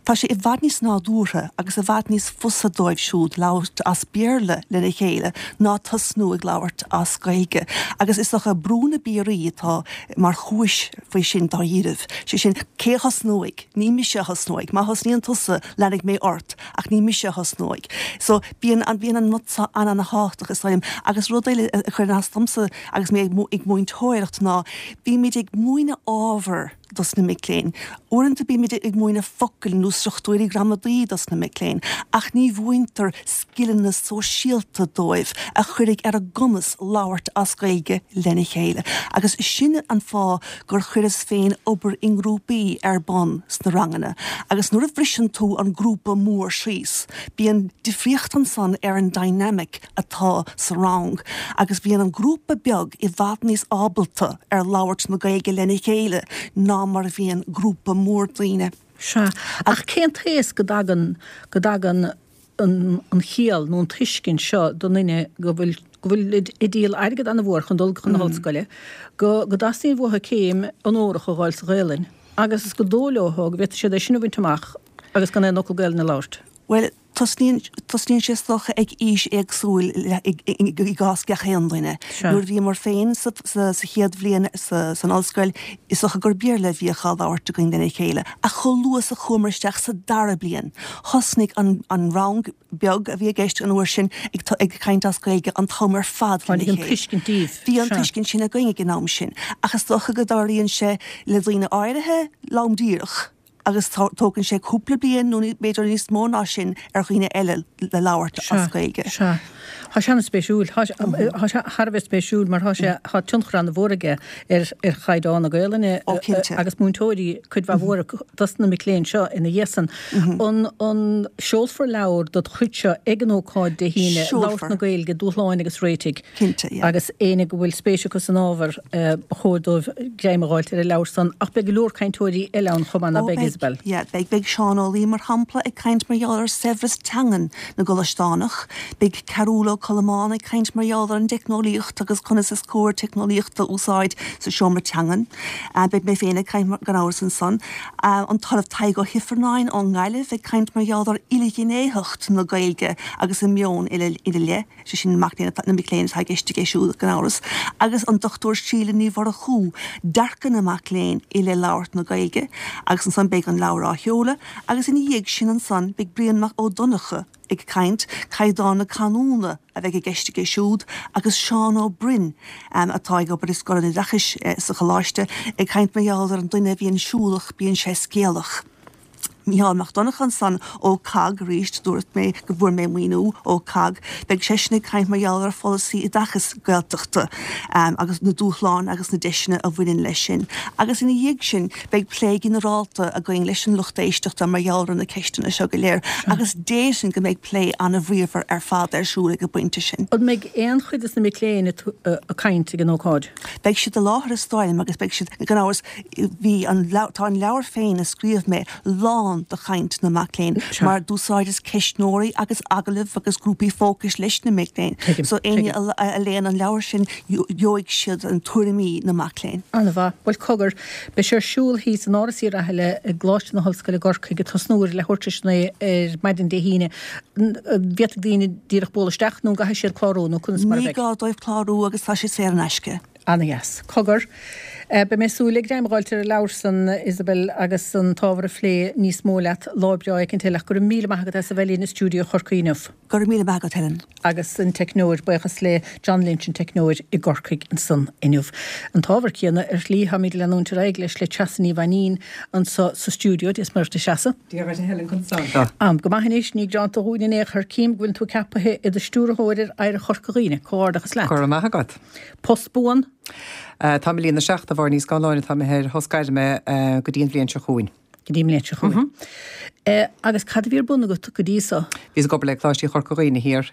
tá sé i bhfad níos nádúrtha agus i bhfad níos fusa dóibh siúd labhairt as Béarla lena chéile ná tosnú ag labhairt as Gaeilge. Agus is dócha brú na bpiaraí atá mar chúis faoi sin dáiríribh. Sé sin, cé a thosnóidh? Ní mise a thosnóidh. Má thosnaíonn tusa, leanfaidh mé ort. ach ní mise a thosnóidh. So, bíonn an, bíonn an rud seo an-an-thábhachtach is dóigh liom. Agus rud eile a chuireann as domsa agus mé ag múinteoireacht ná, bímid ag múineadh ábhar. dos na mic léinn. Uaireanta bímid ag múineadh focail nó struchtúirí gramadaí dos na mic léinn, ach ní mhúintear scileanna sóisialta dóibh a chuirfidh ar a gcumas labhairt as Gaeilge lena chéile. Agus sin an fáth gur chuireas féin obair i ngrúpaí ar bun sna ranganna. Agus nuair a bhriseann tú an grúpa mór síos, bíonn difríocht ansan ar an dynamic atá sa rang agus bíonn an grúpa beag i bhfad níos ábalta ar labhairt na Gaeilge lena chéile ná mar a bhíonn grúpa mór daoine.
Sea, ach cén t-aos go dtagann, go dtagann an chiall nó an tuiscint seo don duine go bhfuil, go bhfuilid ag díol airgead an-mhór chun dul chun na hollscoile, go, go dteastaíonn uathu céim onórach a dh'fháil sa Ghaelainn agus gur dóigh leo go bhféadfaidh siad é sin a bhaint amach agus gan aon fhocal Gaelainne a labhairt.
Bhuel, tosnaíonn, tosnaíonn sé is dócha ag aois éagsúil i gcás gach aon duine. Nuair a bhíomar féin sa, sa, sa chéad bhliain sa, san ollscoil, is dócha gur Béarla a bhíodh á labhairt againn lena chéile. Ach chomh luath is a chuamar isteach sa dara bliain, thosnaigh an, an rang beag a bhí i gceist an uair sin ag, ag caint as Gaeilge an t-am ar fad lena
Tháinig an chéile. tuiscint
díobh. Bhí an tuiscint sin againn ag an am sin. Ach is dócha go dtarlaíonn sé le daoine áirithe lom díreach. agus tógann sé cúpla bliain nó b'fhéidir níos mó ná sin ar dhaoine eile le labhairt as Gaeilge.
Sea. Tá sé an-spéisiúil. Tá sé thar a bheith spéisiúil mar tá sé, tá tionchar an-mhór aige ar ar chaighdeán na Gaelainne agus múinteoirí cuid mhaith mhór dos na mic léinn seo ina dhiaidh san. An an seolfar leabhar dod chuid seo ag an ócáid Dé hAoine, Labhairt na Gaeilge, Dúshláin agus Réitigh?
Cinnte, yeah.
Agus éinne go bhfuil spéis acu san ábhar, ba chóir dóibh greim a dh'fháilt ar an leabhar san. Ach beidh go leor cainteoirí eile ann chomh maith, ná beidh, Isabel?
Yeah, beidh. Beidh Seán Ó Laoi, mar shampla, ag caint mar gheall ar saibhreas teangan na gcoláisteánach. Beidh Cearbhall Ó Colmáin ag caint mar gheall ar an dteicneolaíocht agus conas is cóir teicneolaíocht a úsáid sa seomra teangan. Beidh mé féin ag caint, gan amhras, ansan. An tOllamh Tadhg Ó hIfearnáin ón nGaillimh ag caint mar gheall ar ilghnéitheacht na Gaeilge agus a meon ina leith. sé sin mac léinn na mic léinn atá i gceist aige siúd, gan amhras, agus an Dr Síle Ní Mhurchú, dearcadh na mac léinn i leith labhairt na Gaeilge, agus ansan beidh an leabhar á sheoladh, agus ina dhiaidh sin ansan beidh Brian Mac Ó Donncha ag caint, caighdeán na canúna a bheidh i gceist aige siúd, agus Seán Ó Broin, atá ag obair i Scoil an Oideachais sa Choláiste, ag caint mar gheall ar an duine a bhíonn siúlach, bíonn sé scéalach. Mícheál Mac Donncha ansan ó COGG arís, dúirt mé go bhfuair mé maoiniú ó COGG, beidh seisean ag caint mar gheall ar pholasaí oideachais Gaeltachta agus na dúshláin agus na deiseanna a bhaineann leis sin. Agus ina dhiaidh sin beidh plé ginearálta againn leis an lucht éisteachta mar gheall ar na ceisteanna seo go léir agus déarfainn go mbeidh plé an-bhríomhar ar fad ar siúl ag an bpointe sin.
An mbeidh aon chuid des na mic léinn ag caint ag an ócáid?
Beidh siad i láthair is dóigh liom agus beidh siad, gan amhras, Bhí an leabhar, tá an leabhar féin a scríobh mé lán de chaint na mac léinn mar d'úsáideas ceistneoirí agus agallaimh agus grúpaí fócais leis na mic léinn. So éinne a léann an leabhar sin gheobhaidh siad an tuairimí na mac léinn.
An-mhaith. Bhuel cogar, beidh sé ar siúl thíos in Áras Uí Rathaille i gColáiste na hOllscoile i gCorcaigh ag tosnú ar leathuair tar éis a naoi ar maidin Dé hAoine. An bhféadfaidh daoine díreach bualadh isteach nó an gcaithfidh siad clárú nó conas mar
a bheidh? Ní gá dóibh clárú agus tá sé saor in aisce.
Ana-dheas. Cogar. Beidh mé ag súil le greim a dh'fháilt ar an leabhar san, Isabel, agus an t-ábhar a phlé níos mó leat lá breá éicint eile ach go raibh míle maith agat as a bheith linn i stiúideo Chorcaí inniu.
Go raibh míle maith agat, Helen.
Agus an teicneoir, buíochas le John Lynch, an teicneoir i gCorcaigh ansan inniu. An t-ábhar céanna ar shlí, táimid ag leanúint ar aghaidh leis le Treasa Ní Mhainín anso sa stiúideo. Dia is Muire dhuit, a Threasa.
Dia dhuit, a Helen, conas tá?
Am go maith anois, ní greanta dhúinn in aon chor. Cím go bhfuileann tú ceapaithe i do stiúrthóir ar Oidhreacht Chorca Dhuibhne. Comhghairdeachas leat.
Go raibh maith agat.
Post buan?
Táim ag líonadh isteach do Mháire Ní Scanláin atá imithe ar shos gairme go dtí an bhliain seo chugainn.
Go dtí an bhliain seo chugainn. Agus cad a bhí ar bun agat go dtí so?
Bhíos ag obair le Coláistí Chorca Dhuibhne thiar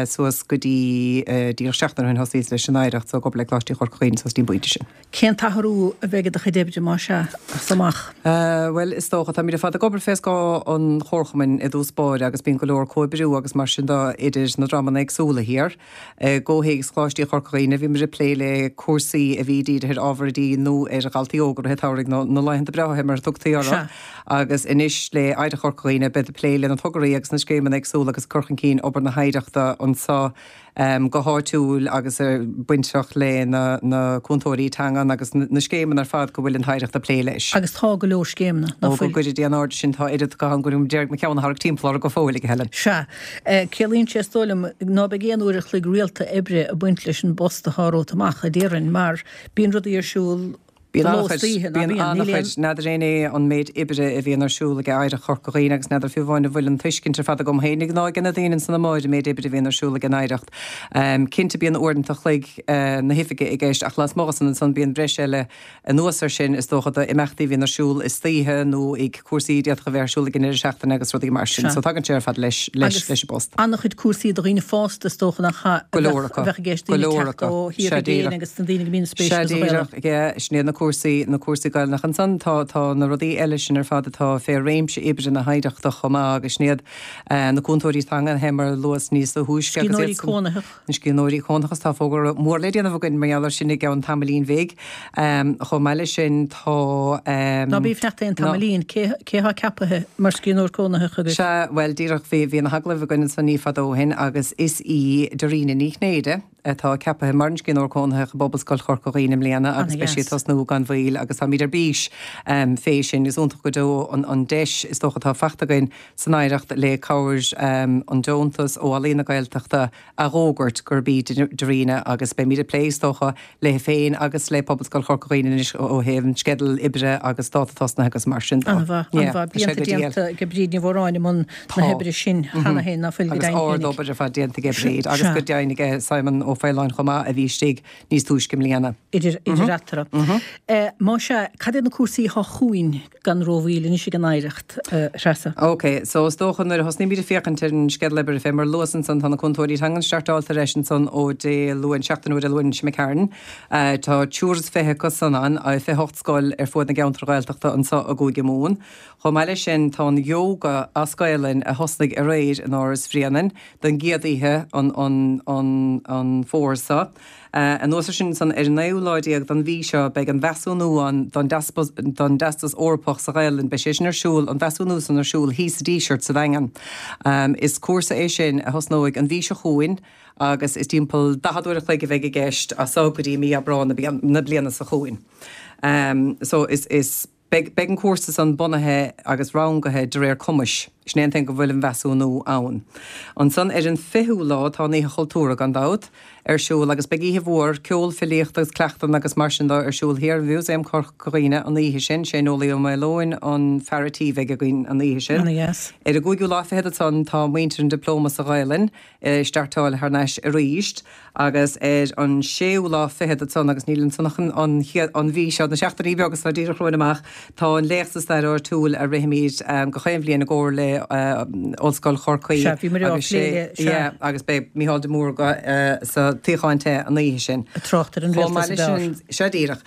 suas go dtí díreach seachtain ó shin thosaíos leis an Oidhreacht so ag obair le Coláistí Chorca Dhuibhne suas dtí an bpointe sin.
Cén t-athrú a bheidh i do chuid oibre, más ea, as amach?
Bhuel, is dócha, táimid ar fad ag obair fé scáth an Chomharchumainn i dtús báire agus bíonn go leor comhoibriú agus mar sin de idir na dreamanna éagsúla thiar. I gcomhthéacs Choláistí Chorca Dhuibhne, bhí muid ag plé le cúrsaí a bhí dírithe ar ábhar oidí nó ar dhaltaí óga i rith an tsamhraidh, nó na laethanta breátha mar a tugtaí orthu, agus anois le Oidhreacht Chorca Dhuibhne, beidh ag plé le na tograí agus na scéimeanna éagsúla agus ag cur chun cinn obair na hoidhreachta anseo go háitiúil agus bainteach le na cúntóirí teangan agus na scéimeanna ar fad go bhfuil an tOidhreacht ag plé leis.
Agus tá go leor scéimeanna,
ná fuil? Ó, go gcuire Dia in airde sinn, tá oiread acu ann go d'iarraidh mo cheann a tharrac timpeall orthu go fóill, a Helen.
Sea. Ciallaíonn sé, is dóigh liom, ná beidh aon uair a chloig rialta oibre ag baint leis an bpost atá romhat amach, a déarfainn, mar bíonn rudaí ar siúl.
Bíonn
do ló is d'oíche, ná
bíonn?
Níl aon.
An-chuid. N'fheadar éinne an méid oibre a bhíonn ar siúl ag Oidhreacht Chorca Dhuibhne agus n'fheadar fiú amháin an bhfuil an tuiscint ar fad agam féinig ná ag na daoine ansan amuigh ar an méid oibre a bhíonn ar siúl ag an Oidhreacht. Cinnte bíonn uaireanta a chloig na hoifige i gceist ach lasmuigh de san ansan bíonn breis eile Anuas air sin, is dócha d'imeachtaí a bhíonn ar siúl istoíche nó ag cúrsaí a d'fhéadfadh a bheith ar siúl ag an ndeireadh seachtaine agus rudaí mar sin. So tagann sé ar fad leis, leis, leis an bpost.
Agus an-chuid cúrsaí do dhaoine fásta is dócha nach ea,
Go leor acu.
a bheadh i gceist,
Go
daoine ag
leor
teacht
acu.
ó
Sea
thíortha i gcéin
díreach.
agus na daoine go mbíonn spéis
Sea
acu sa Ghaelainn.
díreach, yeah, sin iad na cúrsaí, na cúrsaí Gaelainne. Ansan tá, tá na rudaí eile sin ar fad atá fé réimse oibre na hOidhreachta chomh maith agus sin iad na cúntóirí teanga, mar a luas níos túisce
agus iad Scríbhneoirí cónaitheach.
Na scríbhneoirí cónaitheacha, tá fógra mór le déanamh againn mar gheall air sin i gceann tamaillín bhig. Chomh maith leis sin tá.
Ná bí ag fanacht aon tamaillín, cé atá ceapaithe mar scríbhneoir cónaitheach agaibh?
Sea, bhuel díreach bhí, bhí na hagallaimh againn ansan ní fada ó shin agus is í Dairena Ní Chinnéide atá ceapaithe mar an scríbhneoir cónaitheach i bPobalscoil Chorca Dhuibhne i mbliana agus beidh sí ag tosnú gan mhoill agus táimid ar bís fé sin. Is iontach go deo an deis is dócha atá faighte againn san Oidhreacht le cabhair an deontas ó Ealaín na Gaeltachta a dh'fhógairt gurb í Dairena agus beimid ag plé is dócha léi féin agus le Pobalscoil Chorca Dhuibhne anois ó thaobh an sceideal oibre agus dáta tosnaithe agus mar sin
de. An-mhaith, an-mhaith. Blianta déanta ag Bríd Ní Mhóráin i mbun na hoibre sin cheana féin, ná fuil go
deimhin
féinig.
Agus ard-obair ar fad déanta ag Bríd agus go deimhin ag Simon Ó Faoláin chomh maith a bhí istigh níos túisce i mbliana.
Idir eatarthu. Más ea, cad iad na cúrsaí atá chugainn? Gan rómhoill anois ag an Oidhreacht, a Threasa.
Ok, so is dócha nuair a thosnaímid ag féachaint ar an sceideal oibre fé mar a luas ansan tá na cúntóirí teangan startáilte ar ais ansan ó Dé Luain, seachtain ó Dé Luain seo imigh tharainn. Tá 23 acu san ann, 28 scoil ar fuaid na gceantar Ghaeltachta anso i gCúige Mumhan. Chomh maith leis sin tá an Yoga as Gaelainn a thosnaigh aréir in Áras Bhréanainn don gcéad oíche an an an an fómhar seo. Anuas ar sin ansan, ar an naoú lá déag den mhí seo beidh an mheasúnú ann don don dTeastas Eorpach sa Ghaelainn. Beidh sé sin ar siúl, an mheasúnú san ar siúl thíos sa Díseart sa Daingean. Is cúrsa é sin a thosnóidh an mhí seo chugainn agus is timpeall 40 uair a chloig a bheidh i gceist as so go dtí mí Aibreán na bliana seo chugainn. So is is. Beidh beidh an cúrsa san bunaithe agus rangaithe de réir cumais. Sin é an tuige go bhfuil an mheasúnú ann. Ansan ar an 20ú lá tá an Oíche Chultúrtha, gan dabht, ar siúl agus beidh oíche mhór ceol, filíocht agus cleachtanna agus mar sin de ar siúl thiar i Mhúsaem Chorca Dhuibhne an oíche sin. Sé Nollaí Ó Maoileoin an fear a' tí bheidh againn an oíche sin.
Ana-dheas.
Ar an gcúigiú lá fichead ansan tá muintir an Dioplóma sa Ghaelainn. ag startáil thar n-ais arís agus ar an séú lá fichead ansan, agus níl ansan ach an chéad, an mhí seo, na seachtainí beaga seo díreach romhainn amach, tá an Léacht sa Stair Áitiúil a rithimid gach aon bhliain i gcomhar le Ollscoil Chorcaí
Sea, bhí muid á
agus
phlé
sé,
le, sea.
yeah, agus beidh Mícheál de Mórdha sa tsuíochán te an oíche sin.
Ag trácht ar an
Chomh
rialtas
maith
ab
leis
fhearr.
sin, sea díreach.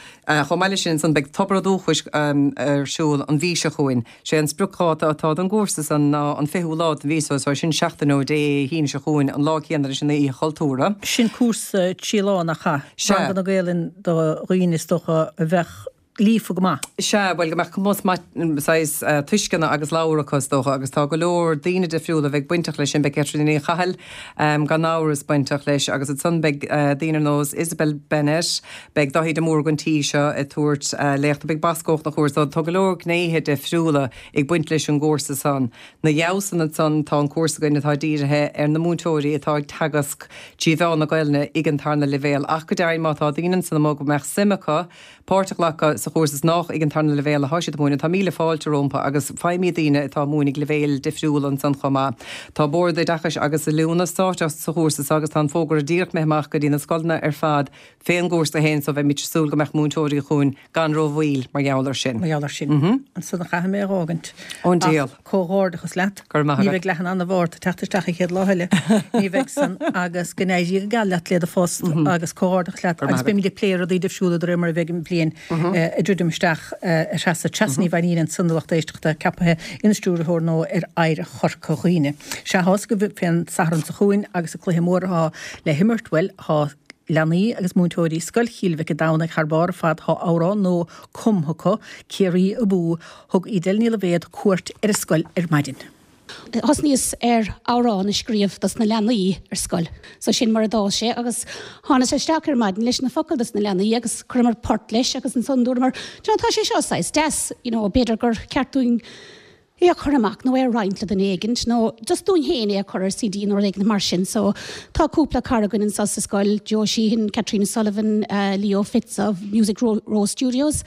Chomh maith leis sin ansan beidh Tobar an Dúchais ar siúl an mhí seo chugainn. Sé an spriocdháta atá don gcúrsa san ná an 20ú lá den mhí so, so sin seachtain ó Dé hAoine seo chugainn, an lá céanna leis an Oíche Chultúrtha.
Sin cúrsa trí lá, nach ea?
Sea.
Ranganna Gaelainn do dhaoine is dócha a bheadh líofa go maith.
Sea, bhuel, go mbeadh cumas maith, saghas tuisceana agus labhartha acu is dócha, agus tá go leor daoine difriúla a bheidh bainteach leis sin, beidh Caitríona Ní Chathail gan amhras bainteach leis, agus ansan beidh daoine ar nós Isabel Bennett, Beidh Daithí de Mórdha an tí seo ag tabhairt léachta. Beidh Boscóg na chúrsa. Tá go leor gnéithe difriúla ag baint leis an gcúrsa san. 'Na dhiaidh san ansan tá an cúrsa againn atá dírithe ar na múinteoirí atá ag teagasc trí mheán na Gaelainne ag an tarna leibhéal. Ach go deimhin má tá daoine ansan amuigh go mbeadh suim acu páirt a ghlacadh sa chúrsa is nách ag an tarna leibhéal atá siad ag múineadh, tá míle fáilte rompu agus faighimid daoine atá ag múineadh ag leibhéil difriúla ansan chomh maith. Tá Bord Oideachais agus Oiliúna sáite sa chúrsa so agus tá an fógra díreach imithe amach go dtí na scoileanna ar fad Fén gcúrsa féin so bheimid ag súil go mbeadh múinteoirí chugainn gan ró-mhoill mar gheall ar sin.
Mar gheall ar sin. Ansan a chaithfidh mé a dh'fhágaint.
Ón diabhal.
Ach comhghairdeachas leat.
Go raibh maith
Ní
agat.
bheidh leath in ann a bharr ort teacht isteach an chéad lá eile. Ní bheidh san agus go n-éirí go geal leat le do phost agus comhghairdeachas leat
Go raibh
agus
maith agat.
beimid ag plé rudaí difriúla de réir mar a bheidh an bhliain ag druidim isteach a Threasa. Treasa Ní Mhainín ansan a lucht éisteachta ceapaithe ina stiúrthóir nua ar Oidhreacht Chorca Dhuibhne. Sea, tá's agaibh fén Satharn seo chugainn agus an cluiche mór atá le himirt, bhuel, tá Leanaí agus múinteoirí Scoil Chill Mhic an Domhnaigh thar barr ar fad Tá amhrán nua cumtha acu, Ciarraí Abú. Thug Edel Ní Loibhéad cuairt ar an scoil ar maidin.
Thosnaíos ar amhrán a scríobh dos na leanaí ar scoil. So sin mar a d'fhás sé agus thánas isteach ar maidin leis na focail dos na leanaí agus chuireamar port leis agus ansan dúramar, do you know tá sé seo saghas deas, you know b'fhéidir gur ceart dúinn. É a chur amach nó é a roinnt le duine éigint nó just dúinn féin é a chur ar CD nó rud éigin mar sin. So tá cúpla cara againn anseo sa scoil, Joe Sheehan, Caitríona Sullivan, Leo Fitz of Music Row Studios.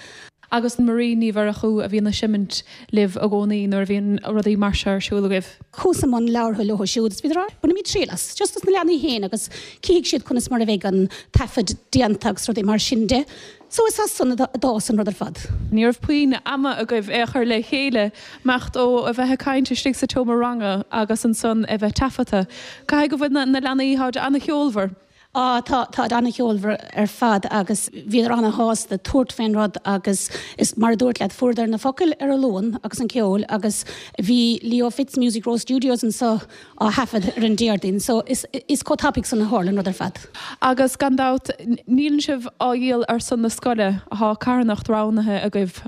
Agus Marie Ní Mhurchú a bhíonn ag seimint libh i gcónaí nuair a bhíonn rudaí mar seo ar siúl agaibh.
Chuas i mbun labhartha leo siúd is bhíodar á bainfimid triail as, just dos na leanaí féin agus cífidh siad conas mar a bheidh an taifead déanta agus rudaí mar sin de. So is as san a d'fhás an rud ar fad.
Ní raibh puinn ama agaibh é a chur le chéile, imeacht ó a bheith ag caint istigh sa tseomra ranga agus ansan é bheith taifeadta. Caithfidh go bhfuil na leanaí, táid an-cheolmhar.
Á, tá, táid an-cheolmhar ar fad agus bhíodar an-shásta tabhairt fén rud agus is mar a dúirt leat, fuaireadar na focail ar an Luan agus an ceol agus bhí Leo Fitz Music Row Studios anso á thaifead ar an Déardaoin so is is chomh tapaidh san a tharla an rud ar fad.
Agus gan dabht, níleann sibh á dhíol ar son na scoile, thá carthanacht roghnaithe agaibh.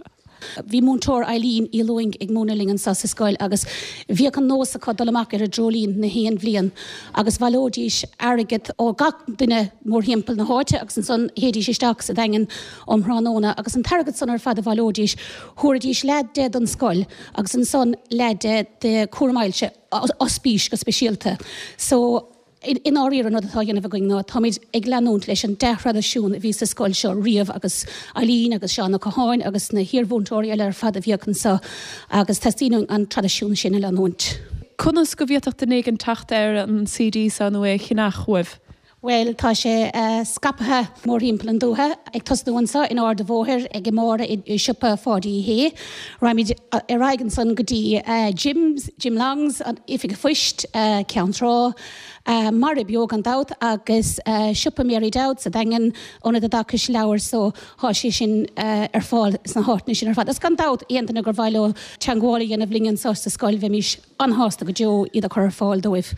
Bhí múinteoir Eileen Uí Lúing ag múineadh linn anso sa scoil agus bhíodh an nós acu dul amach ar an dreoilín na haon bhliain agus bhaileoidís airgead ó gach duine mórthimpeall na háite agus ansan théidís isteach sa Daingean um thráthnóna agus an t-airgead san ar fad a bhaileoidís thabharfaidís leath de don scoil agus ansan leath de do chúram ailse. ospís go speisialta. So, i ndáiríre an rud atá á dhéanamh againn ná táimid ag leanúint leis an dea-thraidisiún a bhí sa scoil seo riamh agus Eileen agus Seán Ó Catháin agus na hiarmhúinteoirí eile ar fad a bhíodh anseo agus teastaíonn uainn an traidisiún sin a leanúint.
Conas go bhféadfadh duine éigin teacht ar an CD seo nó é a cheannach uaibh?
Bhuel, tá sé scaipthe mórthimpeall an dúiche, ag tosnú anso in Ard a' Bhóthair ag Máire i siopa Pháidí Uí Shé. Raghaimid ar aghaidh ansan go dtí Jim's, Jim Long's, an Oifig a' Phoist, Ceann Trá, Maire Beo gan dabht agus siopa Mary Dowd sa Daingean, Ionad Oideachais Leabhar so thá sé sin ar fáil sna háiteanna sin ar fad. Agus gan dabht, aon duine gur mhaith leo teangmháil a dhéanamh linn anso sa scoil bheimís an-shásta go deo iad a chur ar fáil dóibh.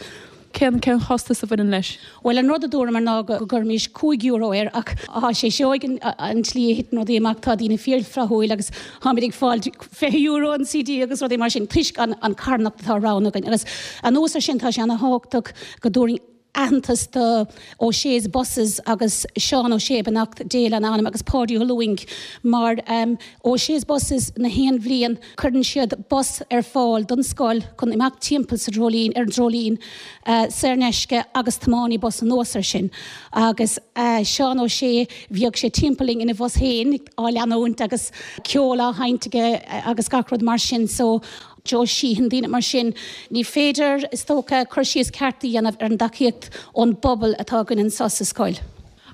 Cén cén chostas a bhaineann leis?
Bhuel, an rud a dúramar ná go gcuirfimis €5 air ach thá sé seoigh an tslí a thiteann rudaí amach, tá daoine fíorfhlaithiúil agus táimid ag fáil €20 an CD agus rudaí mar sin toisc an an carthanacht atá roghnaithe againn. Agus anuas ar sin tá sé ana-thábhachtach go dtabharfainn aitheantas do O'Shea's Buses agus Seán Ó Sé, beannacht Dé lena anam, agus Páidí Ó Lúing mar O'Shea's Buses na haon bhliain Cuireann siad bus ar fáil don scoil chun imeacht timpeall sa dreoilín, ar an dreoilín, saor in aisce agus tiománaí bus anuas ar sin. Agus Seán Ó Sé, bhíodh sé timpeall linn ina bhus féin á leanúint agus ceol á sheinnt aige agus gach rud mar sin. So, Joe Sheehan, daoine mar sin. Ní féidir, is dócha, cur síos ceart a dhéanamh ar an dtacaíocht ón bpobal atá againn anseo sa scoil.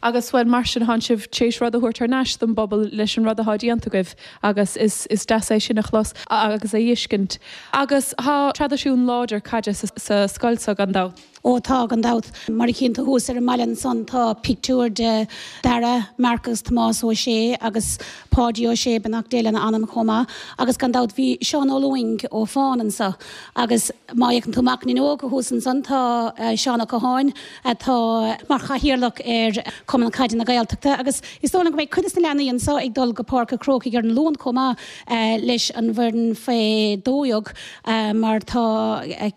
Agus, bhuel, mar sin, thánn sibh tar éis rud a thabhairt thar n-ais don bpobal leis an rud athá déanta agaibh agus is is deas é sin a chlos agus a fheiscint. Agus thá traidisiún láidir caide sa scoil so, gan dabht.
Ó tá, gan dabht. Mar a chíonn tú thuas ar an mballa ansan tá pictiúr de Dara, Marc agus Tomás Ó Sé agus Páidí Ó Sé, beannacht Dé lena anam chomh maith. Agus gan dabht bhí Seán Ó Lúing ó Fán anso. Agus má fhéachann tú amach an fhuinneog thuas ansan tá Seán Ó Catháin, atá mar chathaoirleach ar Chumann Caide na Gaeltachta agus is dóigh liom go mbeidh cuid de na leanaí anseo ag dul go Páirc a' Chrócaigh ar an Luan chomh maith leis an bhfoireann faoi 12 mar tá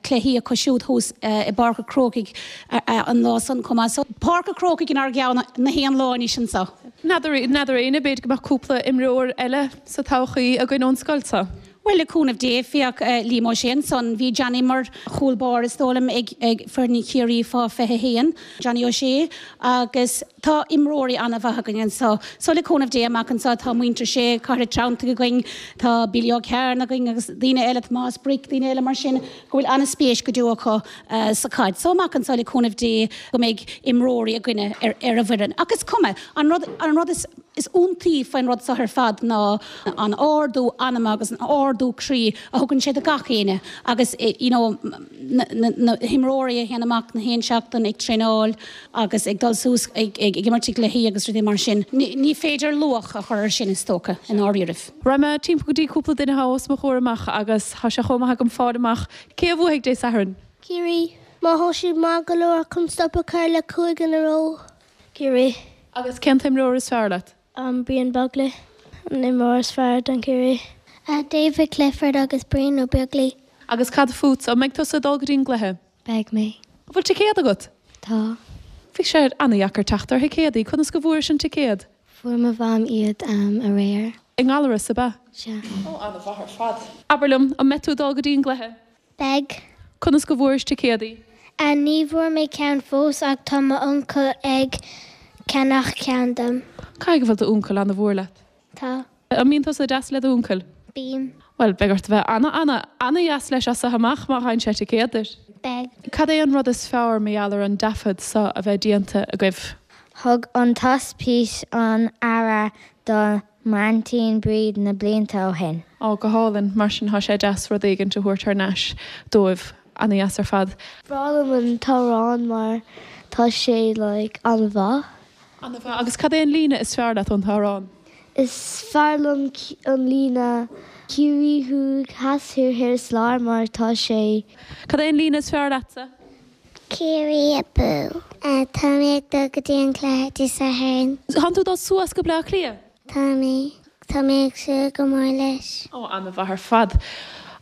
cluichí acu siúd thuas i bPáirc a' Chrócaigh an lá san chomh maith. So Páirc a' Chrócaigh inár gceann na haon lá anois anseo.
N'fheadar, n'fheadar éinne, b'fhéidir go mbeadh cúpla imreoir eile sa todhchaí againn ón scoil seo.
Bhuel, le cúnamh Dé, féach Liam Ó Sé ansan, bhí Johnny mar chúl báire is dóigh liom ag ag foireann Chiarraí fá 21, Johnny Ó Sé, agus tá imreoirí an-mhaith againn anso. So le cúnamh Dé amach anso tá muintir Sé, Cathair an Treanntaigh againn, tá Billy Ó Cearna againn agus daoine eile, Tomás Bric, daoine eile mar sin go bhfuil an-spéis go deo acu sa chaid. So amach anso le cúnamh Dé go mbeidh imreoirí againne ar ar an bhfoireann. Ach is cuma, an rud an rud is Is iontaí faoin rud seo ar fad ná an ardú anama agus an ardú croí a thugann sé do gach éinne agus you know na himreoirí a théann amach na haon seachtain ag traenáil agus ag dul suas ag imirt i gcluichí agus rudaí mar sin. Ní féidir luach a chur ar sin is dócha i ndáiríribh.
Raghaidh mé timpeall go dtí cúpla duine atá os mo chomhair amach agus tá sé chomh maith agam fáil amach cé a bhuafaidh Dé Sathairn.
Ciarraí. Má thá siad maith go leor chun stop a chur le cúig in a row. Ciarraí.
Agus cén t-imreoir is fearr leat?
Brian Begley, an imreoir is fearr don Ciarraí. David Clifford agus Brian Ó Beaglaoi.
Agus cad fútsa? An mbeidh tusa ag dul go dtí an gcluiche?
Beidh mé.
An bhfuil ticéad agat?
Tá.
Bhí sé an-dheacair teacht ar thicéadaí. Conas go bhfuairis an ticéad?
Fuair mo mham iad aréir.
I nGallaras, ab ea?
Sea.
Ó, ana-mhaith ar fad. Abair liom, an mbeidh tú ag dul go dtí an gcluiche?
Beidh.
Conas go bhfuairis ticéadaí?
A, Ní bhfuair mé ceann fós ach tá m'uncail ag ceannach ceann dom.
Caithfidh go bhfuil d'uncail ana-mhór leat?
Tá.
An mbíonn tusa deas le d'uncail?
Bím.
Bhuel, beidh ort a bheith ana, ana, ana-dheas leis as seo amach má fhaigheann sé ticéad duit.
Beidh.
Cad é an rud is fearr mar gheall ar an dtaifead seo a bheith déanta agaibh?
Thug an t-ospís an-aire do m'aintín Bríd na blianta ó shin.
Ó, go hálainn. Mar sin tá sé deas rud éigint a thabhairt thar n-ais dóibh. Ana-dheas ar fad.
Breá liom an t-amhrán mar tá sé like an-mhaith.
Ana-mhaith. Agus cad é an líne is fearr leat ón t-amhrán?
Is fearr liom an líne Ciarraí Thuaidh, Theas, Thiar, Thoir is Lár mar tá sé.
Cad é an líne is fearr leatsa?
Ciarraí abú! Tá mé ag dul go dtí an cluiche Dé Sathairn.
Tánn tú ag dul suas go Bleá Cliath?
Tá mé. Tá mé ag súil go mór leis.
Ó, ana-mhaith ar fad.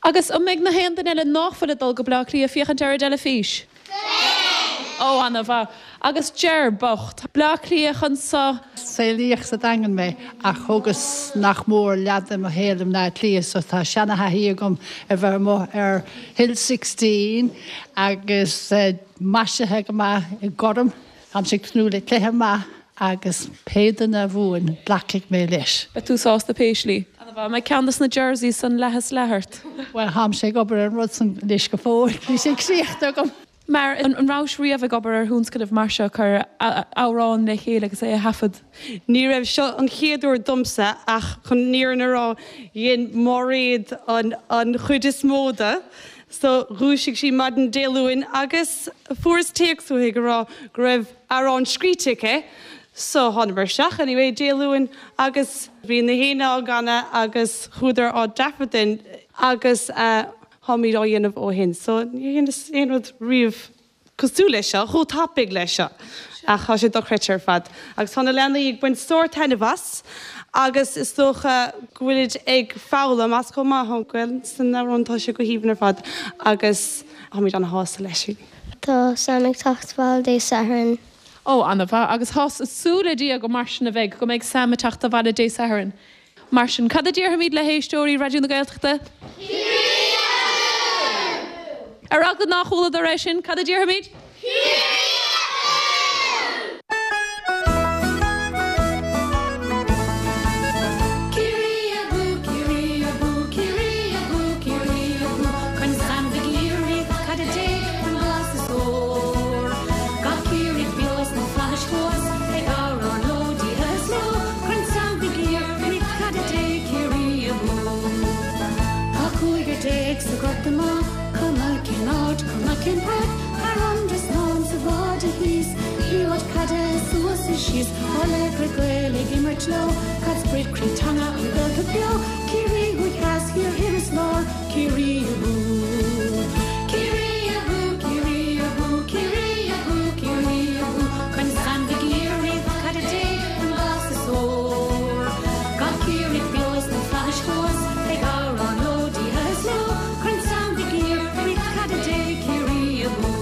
Agus an mbeidh na haon duine eile nach bhfuil ag dul go Bleá Cliath féachaint ar an dteilifís?
Beidh!
Ó, ana-mhaith. Agus Ger bocht. Bleá Cliath anso.
Saolaíodh sa Daingean mé ach thógas nach mór leath de mo shaol i mBleá Cliath so tá seana-thaithí agam ar bheith amuigh ar Hill 16 agus maisithe go maith i ngorm. Táimse ag tnúth le cluiche maith agus pé duine a bhuann, glacfaidh mé leis.
Beidh tú sásta pé slí. Ana-mhaith. An mbeidh ceann dos na jerseys san leath is leath ort?
Bhuel, tháimse ag obair ar an rud san anois go fóill. Níl sé críochnaithe agam.
Mar, an rabhais riamh ag obair ar thionscnamh mar seo, cur amhrán le chéile agus é a thaifead?
Ní raibh seo an chéad uair domsa ach chun an fhírinne a rá, dhein Máiréad an chuid is mó de. So, dhúisigh sí maidin Dé Luain agus fuaireas téacs uaithi ag rá go raibh amhrán scríte aici. So, thánamar isteach anyway Dé Luain agus bhí na héinne á gcanadh agus chuadar á dtaifeadadh agus Táimid á dhéanamh ó shin. So, níor dheineas aon rud riamh cosúil leis seo, chomh tapaidh leis seo. Ach tá sé dochreidte ar fad. Agus tá na leanaí ag baint sár-taitneamh as agus is dócha go bhfuilid ag foghlaim as chomh maith. Tá an Ghaelainn san amhrán, tá sé go haoibhinn ar fad agus táimid ana-shásta leis.
Tá Sam ag teacht abhaile Dé Sathairn.
Ó, ana-mhaith. Agus tá súil le Dia go mar sin a bheidh, go mbeidh Sam ag teacht abhaile Dé Sathairn. Mar sin, cad a déarfaimid le héisteoirí Raidió na Gaeltachta?
Ciarraí abú!
Ar eagla nár chualadar é sin, cad a déarfaimid?
Ciarraí abú!
Ciarraí abú, Ciarraí abú, Ciarraí abú, Ciarraí abú, Corn Sam Mhig Uidhir, Ríocht Caide Dé, an glas is ór. Gach Ciarraíoch beo sna flaithis thuas, ag amhrán leo, Dia is leo, Corn Sam Mhig Uidhir, Ríocht Caide Dé, Ciarraí abú. Tá 15 sa ghort amuigh, cuma cén áit, cuma cén páirc, Thar an dtrasnán sa bháide thíos, liathróid caide suas is síos, Ár laochra Gael ag imirt leo, Caid sprid croí teanga an Ghaeltacht beo, Ciarraí thuaidh theas thiar thoir is lár, Ciarraí abú. Ciarraí abú, Ciarraí abú, Ciarraí abú, Ciarraí abú, Corn Sam Mhig Uidhir, Ríocht Caide Dé, an glas is ór. Gach Ciarraíoch beo sna flaithis thuas, ag amhrán leo, Dia is leo, Corn Sam Mhig Uidhir, Ríocht Caide Dé, Ciarraí abú.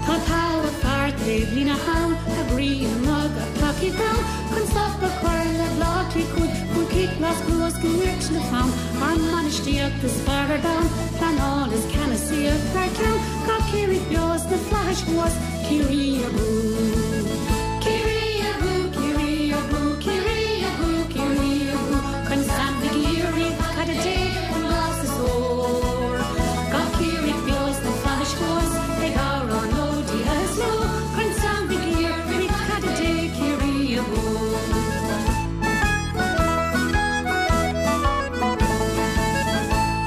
Tá togha fear taobh líne thall, a gcroí amuigh gach tacaíocht ann, Chun stop a chur le Bleá Cliath cúig, cúl cic glas luas go nirt le fonn, Ár mbainistíocht is fearr ar domhan, pleanáil is ceannasaíocht thar ceann, Gach Ciarraíoch beo sna flaithis thuas, Ciarraí abú! Ciarraí abú, Ciarraí abú, Ciarraí abú, Ciarraí abú, Corn Sam Mhig Uidhir, Ríocht Caide Dé, an glas is ór. Gach Ciarraíoch beo sna flaithis thuas, ag amhrán leo, Dia is leo, Corn Sam Mhig Uidhir, Ríocht Caide Dé, Ciarraí abú!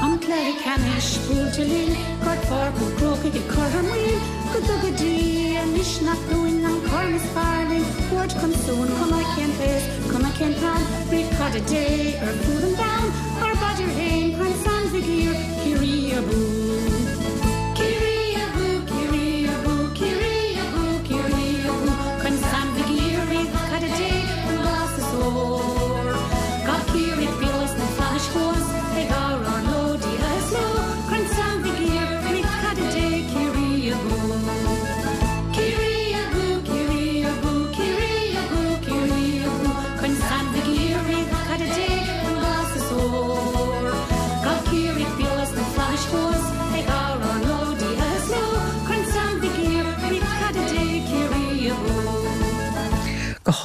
An cluiche ceannais buailte linn, Gort Pháirc an Chrócaigh ag cur thar maoil, Go dtuga Dia misneach dúinn an corn is fearr linn thabhairt chun suain, Cuma cén t-aos, cuma cén t-am, Ríocht Caide Dé ar fud an domhain, Ár bpaidir fhéin, Corn Sam Mhig Uidhir, Ciarraí abú! Ciarraí abú, Ciarraí abú, Ciarraí abú, Ciarraí abú, Corn Sam Mhig Uidhir, Ríocht Caide Dé, an glas is ór. Gach Ciarraíoch beo sna flaithis thuas, ag amhrán leo, Dia is leo, Corn Sam Mhig Uidhir, Ríocht Caide Dé, Ciarraí abú! Ciarraí abú, Ciarraí abú, Ciarraí abú, Ciarraí abú, Corn Sam Mhig Uidhir, Ríocht Caide Dé,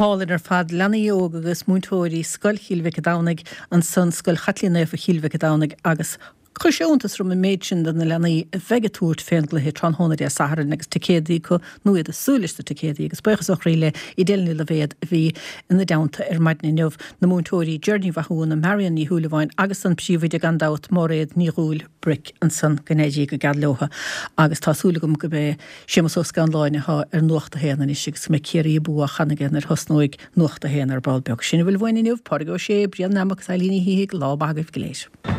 hálainn ar fad. Leanaí óga agus múinteoirí Scoil Chill Mhic an Domhnaigh ansan, Scoil Chaitlín Naofa Chill Mhic an Domhnaigh agus chuir sé iontas orm an méid sin de na leanaí a bheidh ag tabhairt fén gcluiche tráthnóna Dé Sathairn agus ticéadaí acu nó iad ag súil leis na ticéadaí agus buíochas ó chroí le Edel Ní Loibhéad a bhí ina dteannta ar maidin inniu, na múinteoirí Ger Ní Mhathúna, Marion Ní Shúilleabháin agus an príomhoide gan dabht, Máiréad Ní Dhúill Bric ansan go n-éirí go geal leotha agus tá súil agam go b'é Séamus Ó Scanláin atá ar Nuacht a hAon anois agus go mbeidh Ciarraí Abú á chanadh aige nuair a thosnóidh Nuacht a hAon ar ball beag. Sin a bhfuil uainn inniu, Pádraig Ó Sé, Brian Nammock agus Eileen Ní Shíthigh, lá maith agaibh go léir.